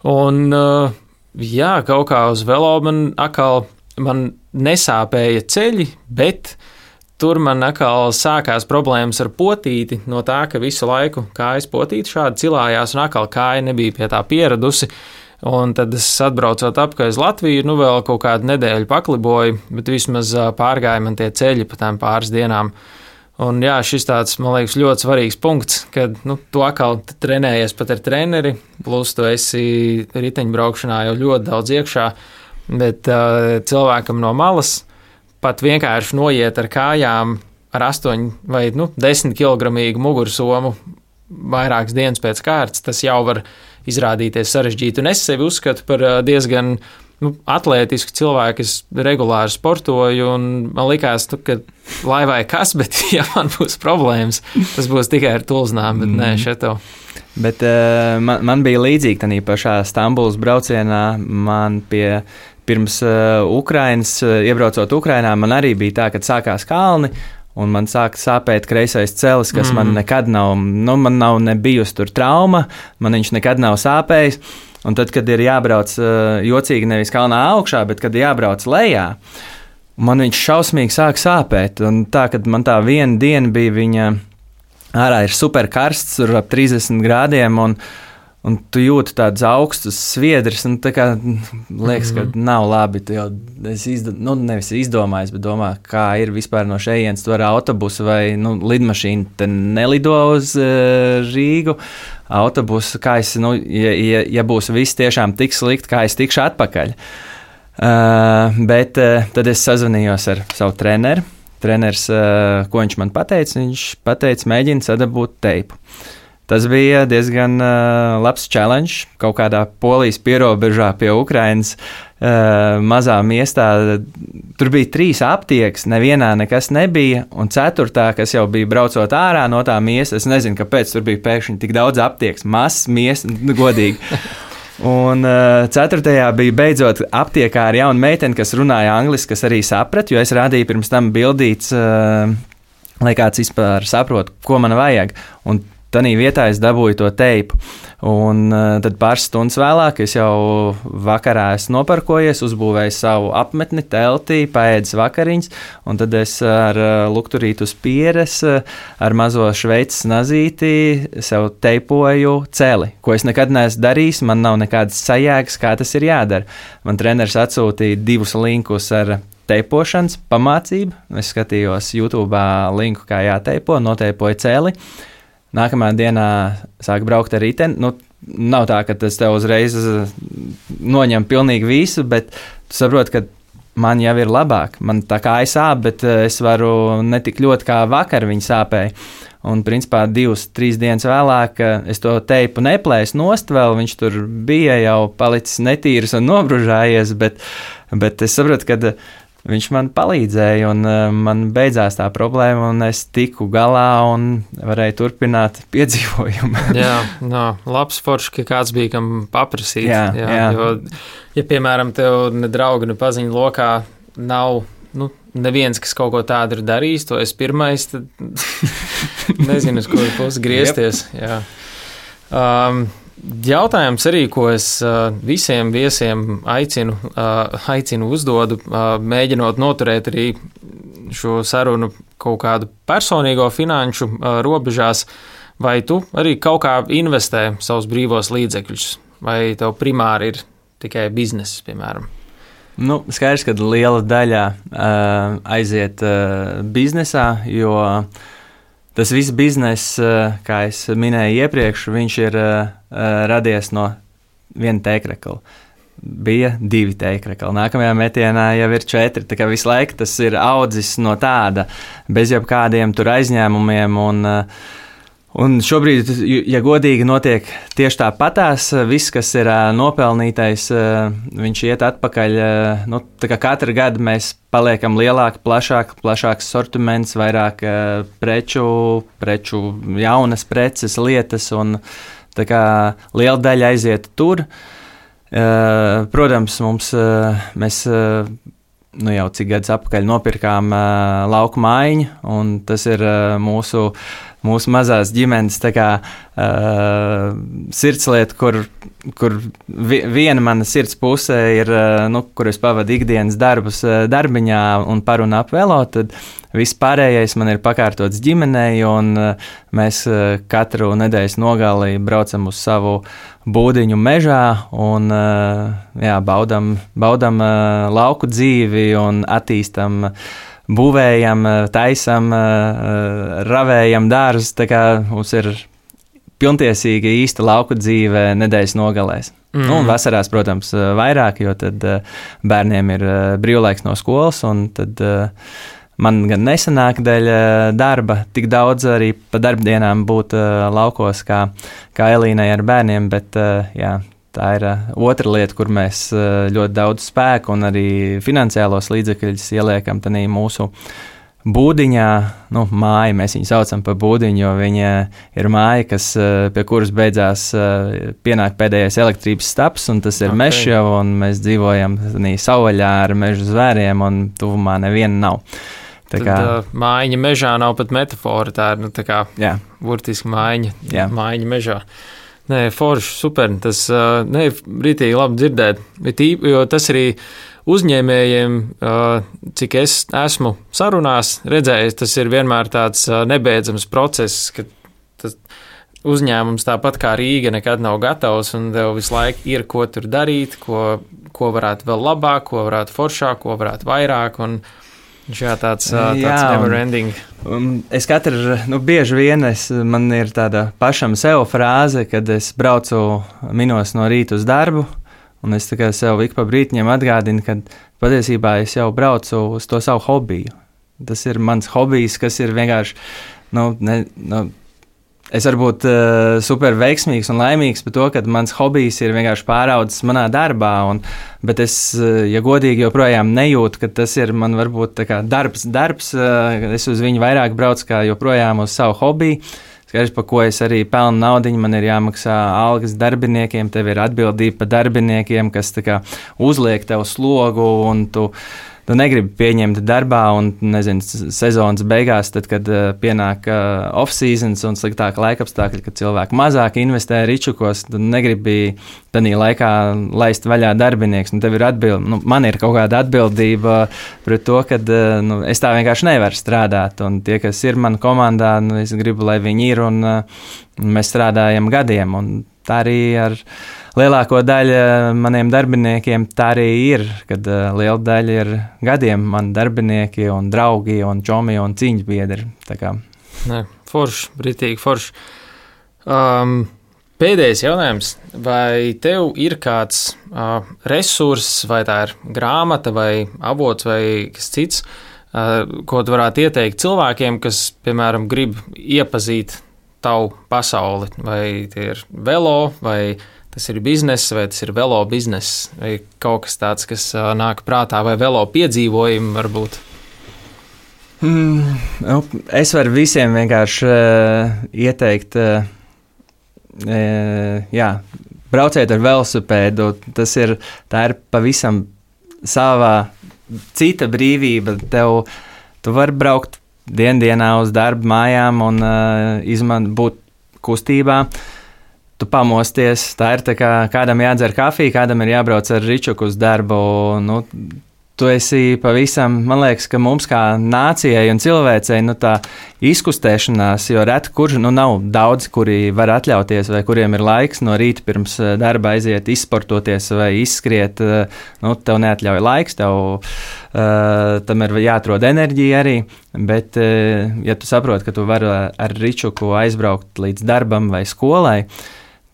Un jā, kaut kā uz velo man nesāpēja ceļi, bet tur man atkal sākās problēmas ar potīti no tā, ka visu laiku kājas potīti šādi cilājās un atkal kāja nebija pie tā pieradusi. Un tad es atbraucot apkārt uz Latviju, vēl kaut kādu nedēļu pakliboju, bet vismaz pārgāja man tie ceļi pa tām pāris dienām. Un jā, šis tāds, man liekas, ļoti svarīgs punkts, kad tu atkal trenējies pat ar treneri, plus tu esi riteņbraukšanā jau ļoti daudz iekšā, bet cilvēkam no malas pat vienkārši noiet ar kājām ar 8 vai 10 kilogramīgu mugursomu vairākas dienas pēc kārtas, tas jau var izrādīties sarežģīti. Un es sevi uzskatu par diezgan atlētisku cilvēku, es regulāri sportoju, un man likās, ka lai vai kas, bet ja man būs problēmas, tas būs tikai ar tulznām, bet nē, šeto. Bet man bija līdzīgi tādā pašā Stambulas braucienā, man pirms Ukrainas, iebraucot Ukrainā, man arī bija tā, kad sākās kalni, un man sāka sāpēt kreisais celis, kas man nekad nav, man nav nebijusi tur trauma, man viņš nekad nav sāpējis, un tad, kad ir jābrauc jocīgi nevis kalnā augšā, bet kad jābrauc lejā, man viņš šausmīgi sāk sāpēt, un tā, kad man tā viena diena bija viņa, ārā ir super karsts, tur ap 30 grādiem, un tu jūti tādus augstus sviedrus, un tā kā liekas, ka nav labi. Tu jau nevis izdomājis, bet domā, kā ir vispār no šejienes, tu ar autobusu vai lidmašīnu te nelido uz Rīgu. Autobusu, kā es, ja būs viss tiešām tik slikti, kā es tikšu atpakaļ. Bet tad es sazvanījos ar savu treneri. Treneris, ko viņš man pateica? Viņš pateica, mēģina sadabūt teipu. Tas bija diezgan labs challenge kaut kādā Polijas pierobežā pie Ukrainas. Mazā miestā tur bija 3 aptiekas, nevienā nekas nebija, un 4., kas jau bija braucot ārā no tā miesta, es nezinu, kāpēc tur bija pēkšņi tik daudz aptiekas, mazs miesta, godīgi. Un 4. bija beidzot aptiekā ar jaunu meiteni, kas runāja angliski, kas arī saprata, jo es rādīju pirms tam bildīts, lai kāds vispār saprot, ko man vajag, un tanī vietā es dabūju to teipu. Un tad pāris stundas vēlāk es jau vakarā esmu noparkojies, uzbūvēju savu apmetni, teltī, paēdis vakariņas, un tad es ar lukturītu uz pieres, ar mazo šveices nazīti sev teipoju celi, ko es nekad neesmu darījis, man nav nekādas sajēgas, kā tas ir jādara. Man treneris atsūtīja 2 linkus ar teipošanas pamācību, es skatījos YouTube linku, kā jāteipo, noteipoju celi. Nākamā dienā sāk braukt ar riteni. Nav tā, ka tas tev uzreiz noņem pilnīgi visu, bet tu saproti, ka man jau ir labāk. Man tā kā sāp, bet es varu ne tik ļoti kā vakar viņa sāpēja. Un principā 2-3 dienas vēlāk es to teipu neplēsu nost vēl, viņš tur bija jau palicis netīrs un nobružājies, bet es saprotu, ka viņš man palīdzēja, un man beidzās tā problēma, un es tiku galā un varēju turpināt piedzīvojumu. Labs forši, ka kāds bija, kam paprasīt. Jā. Jo, ja, piemēram, tev ne draugi, ne paziņu lokā nav, neviens, kas kaut ko tādu ir darījis, to es pirmais, tad nezinu, uz kuru pusi griezties. Jā. Jautājums arī, ko es visiem viesiem aicinu uzdodu, mēģinot noturēt arī šo sarunu kaut kādu personīgo finanšu robežās, vai tu arī kaut kā investē savus brīvos līdzekļus, vai tev primāri ir tikai bizness, piemēram? Skaidrs, ka liela daļa aiziet biznesā, jo tas viss bizness, kā es minēju iepriekš, viņš ir radies no viena teikrekla. Bija 2 teikrekli. Nākamajā metienā jau ir 4. Tā kā visu laiku tas ir audzis no tāda, bez jebkādiem tur aizņēmumiem. Un šobrīd, ja godīgi, notiek tieši tāpatās. Viss, kas ir nopelnītais, viņš iet atpakaļ. Tā kā katru gadu mēs paliekam lielāki, plašāks sortiments, vairāk preču, jaunas preces, lietas, un tā kā liela daļa aiziet tur. Protams, mēs jau cik gadus atpakaļ nopirkām lauku mājiņu, un tas ir mūsu mazās ģimenes tā kā sirdslieta, kur viena mana sirds puse ir, kur es pavadu ikdienas darbus darbiņā un par un ap velo, tad viss pārējais man ir pakārtots ģimenei, un mēs katru nedēļas nogali braucam uz savu būdiņu mežā un baudam lauku dzīvi un attīstam, būvējam, taisam, ravējam dārzus, tā kā mums ir pilntiesīga īsta lauku dzīve nedēļas nogalēs. Un vasarās, protams, vairāk, jo tad bērniem ir brīvlaiks no skolas, un tad man gan nesanāk dēļ darba tik daudz arī pa darbdienām būt laukos kā Elīnai ar bērniem, bet tā ir otra lieta, kur mēs ļoti daudz spēku un arī finansiālos līdzekļus ieliekam tanī mūsu būdiņā, māja, mēs viņu saucam par būdiņu, jo viņa ir māja, pie kuras beidzās pienāk pēdējais elektrības staps, un tas ir mežs jau, un mēs dzīvojam savvaļā ar mežu zvēriem, un tuvumā neviena nav. Tad mājiņa mežā nav pat metafora, tā ir tā kā burtiski mājiņa mežā. Nē, forši, super. Tas rītīgi labi dzirdēt, jo tas arī uzņēmējiem, cik es esmu sarunās redzējis, tas ir vienmēr tāds nebeidzams process, ka tas uzņēmums tāpat kā Rīga nekad nav gatavs, un tev visu laiku ir, ko tur darīt, ko varētu vēl labāk, ko varētu foršāk, ko varētu vairāk, un tāds never ending. Es bieži vien man ir tāda pašam sev frāze, kad es braucu minos no rīta uz darbu, un es tikai sev ik pa brītiņam atgādinu, ka patiesībā es jau braucu uz to savu hobiju. Tas ir mans hobijs, kas ir vienkārši, Es varu būt super veiksmīgs un laimīgs par to, ka mans hobijs ir vienkārši pāraudzis manā darbā, bet es, ja godīgi, joprojām nejūtu, ka tas ir man varbūt tā kā darbs. Es uz viņu vairāk braucu kā joprojām uz savu hobiju. Skaidrs, par ko es arī pelnu naudiņu, man ir jāmaksā algas darbiniekiem, tev ir atbildība par darbiniekiem, kas tā kā uzliek tev slogu un tu negribi pieņemt darbā, un, nezinu, sezonas beigās, tad, kad pienāk off-seasons un sliktāka laikapstākļi, kad cilvēki mazāk investē ričukos, tad negribi tādā laikā laist vaļā darbinieks. Tev ir man ir kaut kāda atbildība pret to, ka es tā vienkārši nevaru strādāt, un tie, kas ir manā komandā, es gribu, lai viņi ir, un mēs strādājam gadiem, un tā arī ar lielāko daļu maniem darbiniekiem tā arī ir, kad liela daļa ir gadiem mani darbinieki un draugi un čomi un cīņas biedri. Forši, britīgi forši. Pēdējais jautājums. Vai tev ir kāds resurss, vai tā ir grāmata vai avots vai kas cits, ko tu varētu ieteikt cilvēkiem, kas, piemēram, grib iepazīt tavu pasauli? Vai tie ir velo, vai tas ir bizness, vai tas ir velo bizness, vai kaut kas tāds, kas nāk prātā, vai velo piedzīvojumi varbūt? Es varu visiem vienkārši ieteikt, brauciet ar velosipēdu. Tā ir pavisam savā cita brīvība. Tu vari braukt dienā uz darbu mājām un būt kustībā. Tu pamosties, tā ir tā kā kādam jādzer kafiju, kādam ir jābrauc ar ričuku uz darbu. Tu esi pavisam, man liekas, ka mums kā nācijai un cilvēcei tā izkustēšanās, jo reti kurš nav daudz, kuri var atļauties vai kuriem ir laiks no rīta pirms darba aiziet izsportoties vai izskriet. Tev neatļauj laiks, tam ir jāatrod enerģija arī, bet ja tu saproti, ka tu vari ar ričuku aizbraukt līdz darbam vai skolai,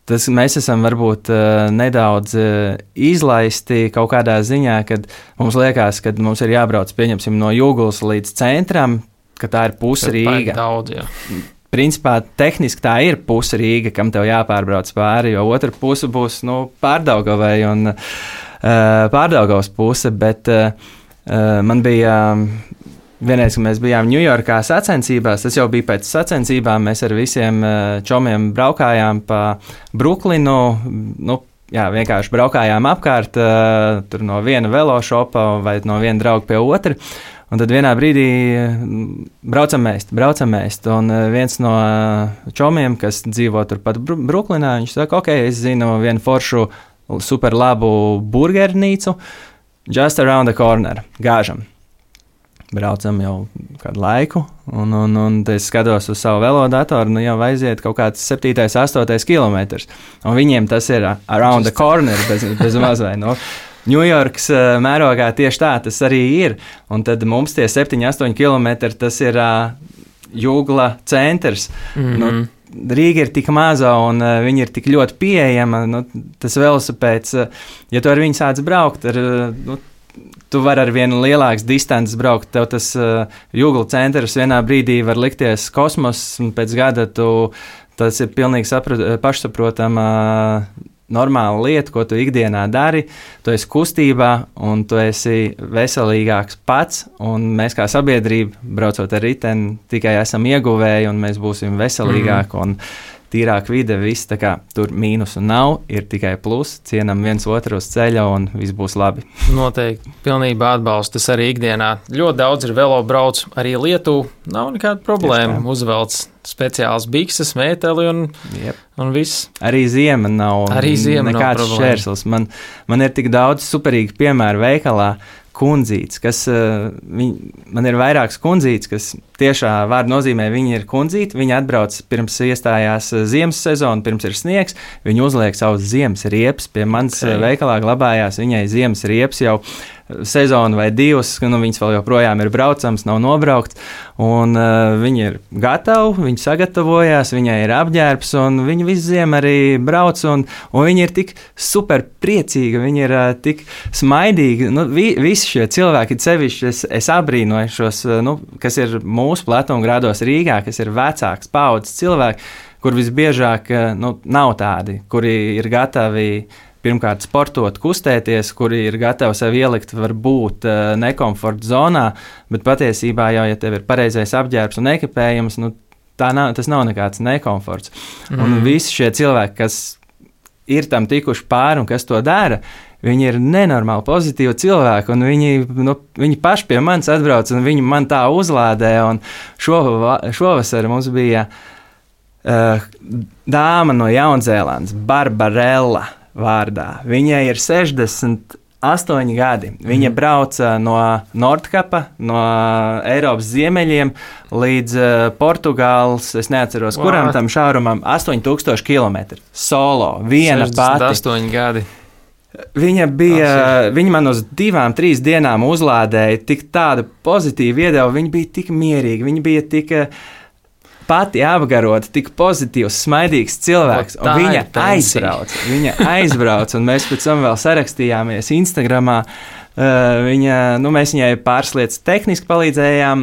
mēs esam varbūt nedaudz izlaisti kaut kādā ziņā, kad mums liekas, ka mums ir jābrauc, pieņemsim, no Jūgulas līdz centram, ka tā ir puse Rīga. Daudz, jā. Principā tehniski tā ir puse Rīga, kam tev jāpārbrauc pāri, jo otra puse būs Pārdaugavai un Pārdaugavas puse, bet man bija vienreiz, kad mēs bijām Ņujorkā sacensībās, tas jau bija pēc sacensībām, mēs ar visiem čomiem braukājām pa Bruklinu, vienkārši braukājām apkārt, tur no viena velošopa vai no viena drauga pie otra, un tad vienā brīdī braucam ēst, un viens no čomiem, kas dzīvo turpat Bruklinā, viņš saka, ok, es zinu vienu foršu super labu burgernīcu, just around the corner, gāžam. Braucam jau kādu laiku, un es skatos uz savu velodatoru, jau aiziet kaut kāds 7. 8. kilometrs. Un viņiem tas ir around the corner, bez mazvai. Ņujorkas mērogā tieši tā tas arī ir. Un tad mums tie 7, 8 kilometri, tas ir Jūgla centrs. Mm-hmm. Rīga ir tik maza un viņa ir tik ļoti pieejama. Tas velosipēds, ja tu ar viņu sāc braukt, tu vari ar vienu lielākas distances braukt. Tev tas Jūgla centrs vienā brīdī var likties kosmos, un pēc gada tas ir pilnīgi pašsaprotama normāla lieta, ko tu ikdienā dari. Tu esi kustībā, un tu esi veselīgāks pats, un mēs kā sabiedrība, braucot ar riteni, tikai esam ieguvēji, un mēs būsim veselīgāki. Un tīrāk vide, viss tā kā tur mīnusu nav, ir tikai plus, cienam viens otru uz ceļa un viss būs labi. Noteikti, pilnībā atbalstu, tas arī ikdienā. Ļoti daudz ir velo brauc, arī Lietuvā, nav nekāda problēma, uzvelc speciāls bikses, mēteli un viss. Arī ziema nav nekāds šķērslis. Man ir tik daudz superīgi piemēru veikalā, kundzītes, man ir vairākas kundzītes, kas tiešā vārda nozīmē, viņi ir kundzīti, viņi atbrauc pirms iestājās ziemas sezona, pirms ir sniegs, viņi uzliek savus ziemas riepas, pie manas veikalā glabājās viņai ziemas riepas jau sezonu vai divas, viņas vēl joprojām ir braucams, nav nobraukts, un viņi ir gatavi, viņi sagatavojās, viņai ir apģērbs, un viņi visu ziemu arī brauc, un viņi ir tik super priecīgi, viņi ir tik smaidīgi, visi šie cilvēki, sevišķi es abrīnoju šos, kas ir mūsu platumgrādos Rīgā, kas ir vecāks paudzes cilvēki, kur visbiežāk nav tādi, kuri ir gatavi pirmkārt sportot, kustēties, kuri ir gatavi sev ielikt varbūt nekomforta zonā, bet patiesībā jau, ja tev ir pareizais apģērbs un ekipējums, tas nav nekāds nekomforts. Un visi šie cilvēki, kas ir tam tikuši pāri un kas to dara, viņi ir nenormāli pozitīvi cilvēki, un viņi paši pie manis atbrauc, un viņi man tā uzlādē, un šovasar mums bija dāma no Jaunzēlandes, Barbarella vārdā. Viņai ir 68 gadi. Viņa brauca no Nordkapa, no Eiropas ziemeļiem līdz Portugāles, es neatceros, kuram tam šaurumam, 8000 km. Solo, viena pati. 68 gadi. Viņa man uz 2-3 dienām uzlādēja tik tādu pozitīvu iedevu, viņa bija tik mierīga, viņa bija tik pati apgarota, tik pozitīvs, smaidīgs cilvēks, un viņa aizbrauca, un mēs pēc tam vēl sarakstījāmies Instagramā. Mēs viņai pāris lietas tehniski palīdzējām.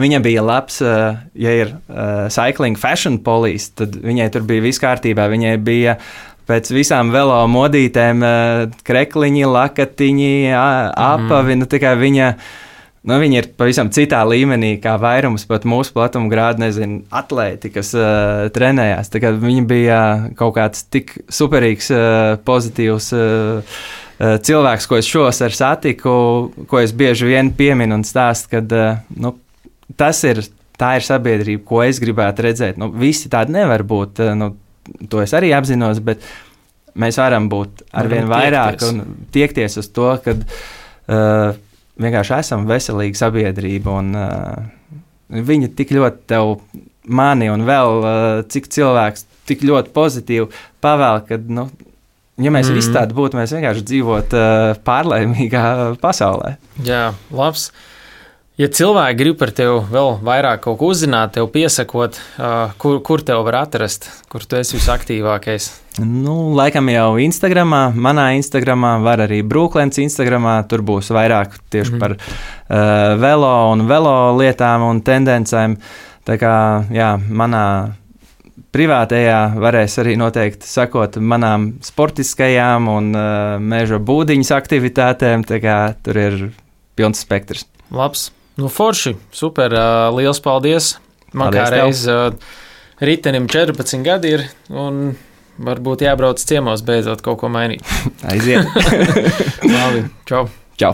Viņa bija labs, ja ir cycling fashion police, tad viņai tur bija viss kārtībā. Viņai bija pēc visām velo modītēm krekliņi, lakatiņi, apavi, tikai viņa ir pavisam citā līmenī, kā vairums pat mūsu platuma grādu, atlēti, kas trenējās. Tā kā viņa bija kaut kāds tik superīgs, pozitīvs cilvēks, ko es šovasar satiku, ko es bieži vien pieminu un stāstu, kad tā ir sabiedrība, ko es gribētu redzēt. Visi tādi nevar būt, to es arī apzinos, bet mēs varam būt arvien vairāk un tiekties uz to, kad vienkārši esam veselīga sabiedrība, un viņi tik ļoti tev mani un vēl cik cilvēks tik ļoti pozitīvi pavēl, kad, ja mēs visi tādi būtu, mēs vienkārši dzīvot pārlaimīgā pasaulē. Jā, labs. Ja cilvēki grib par tevi vēl vairāk kaut ko uzzināt, tev piesakot, kur tev var atrast, kur tu esi visaktīvākais? Laikam jau Instagramā, manā Instagramā, var arī Brooklens Instagramā, tur būs vairāk tieši par velo un velo lietām un tendencēm. Tā kā, jā, manā privātajā varēs arī noteikti sakot manām sportiskajām un meža būdiņas aktivitātēm, tā kā tur ir pilns spektrs. Labs. Forši, super, liels paldies. Man kā reiz ritenim 14 gadi ir, un varbūt jābrauc ciemos beidzot kaut ko mainīt. Aiziet. Labi, čau. Čau.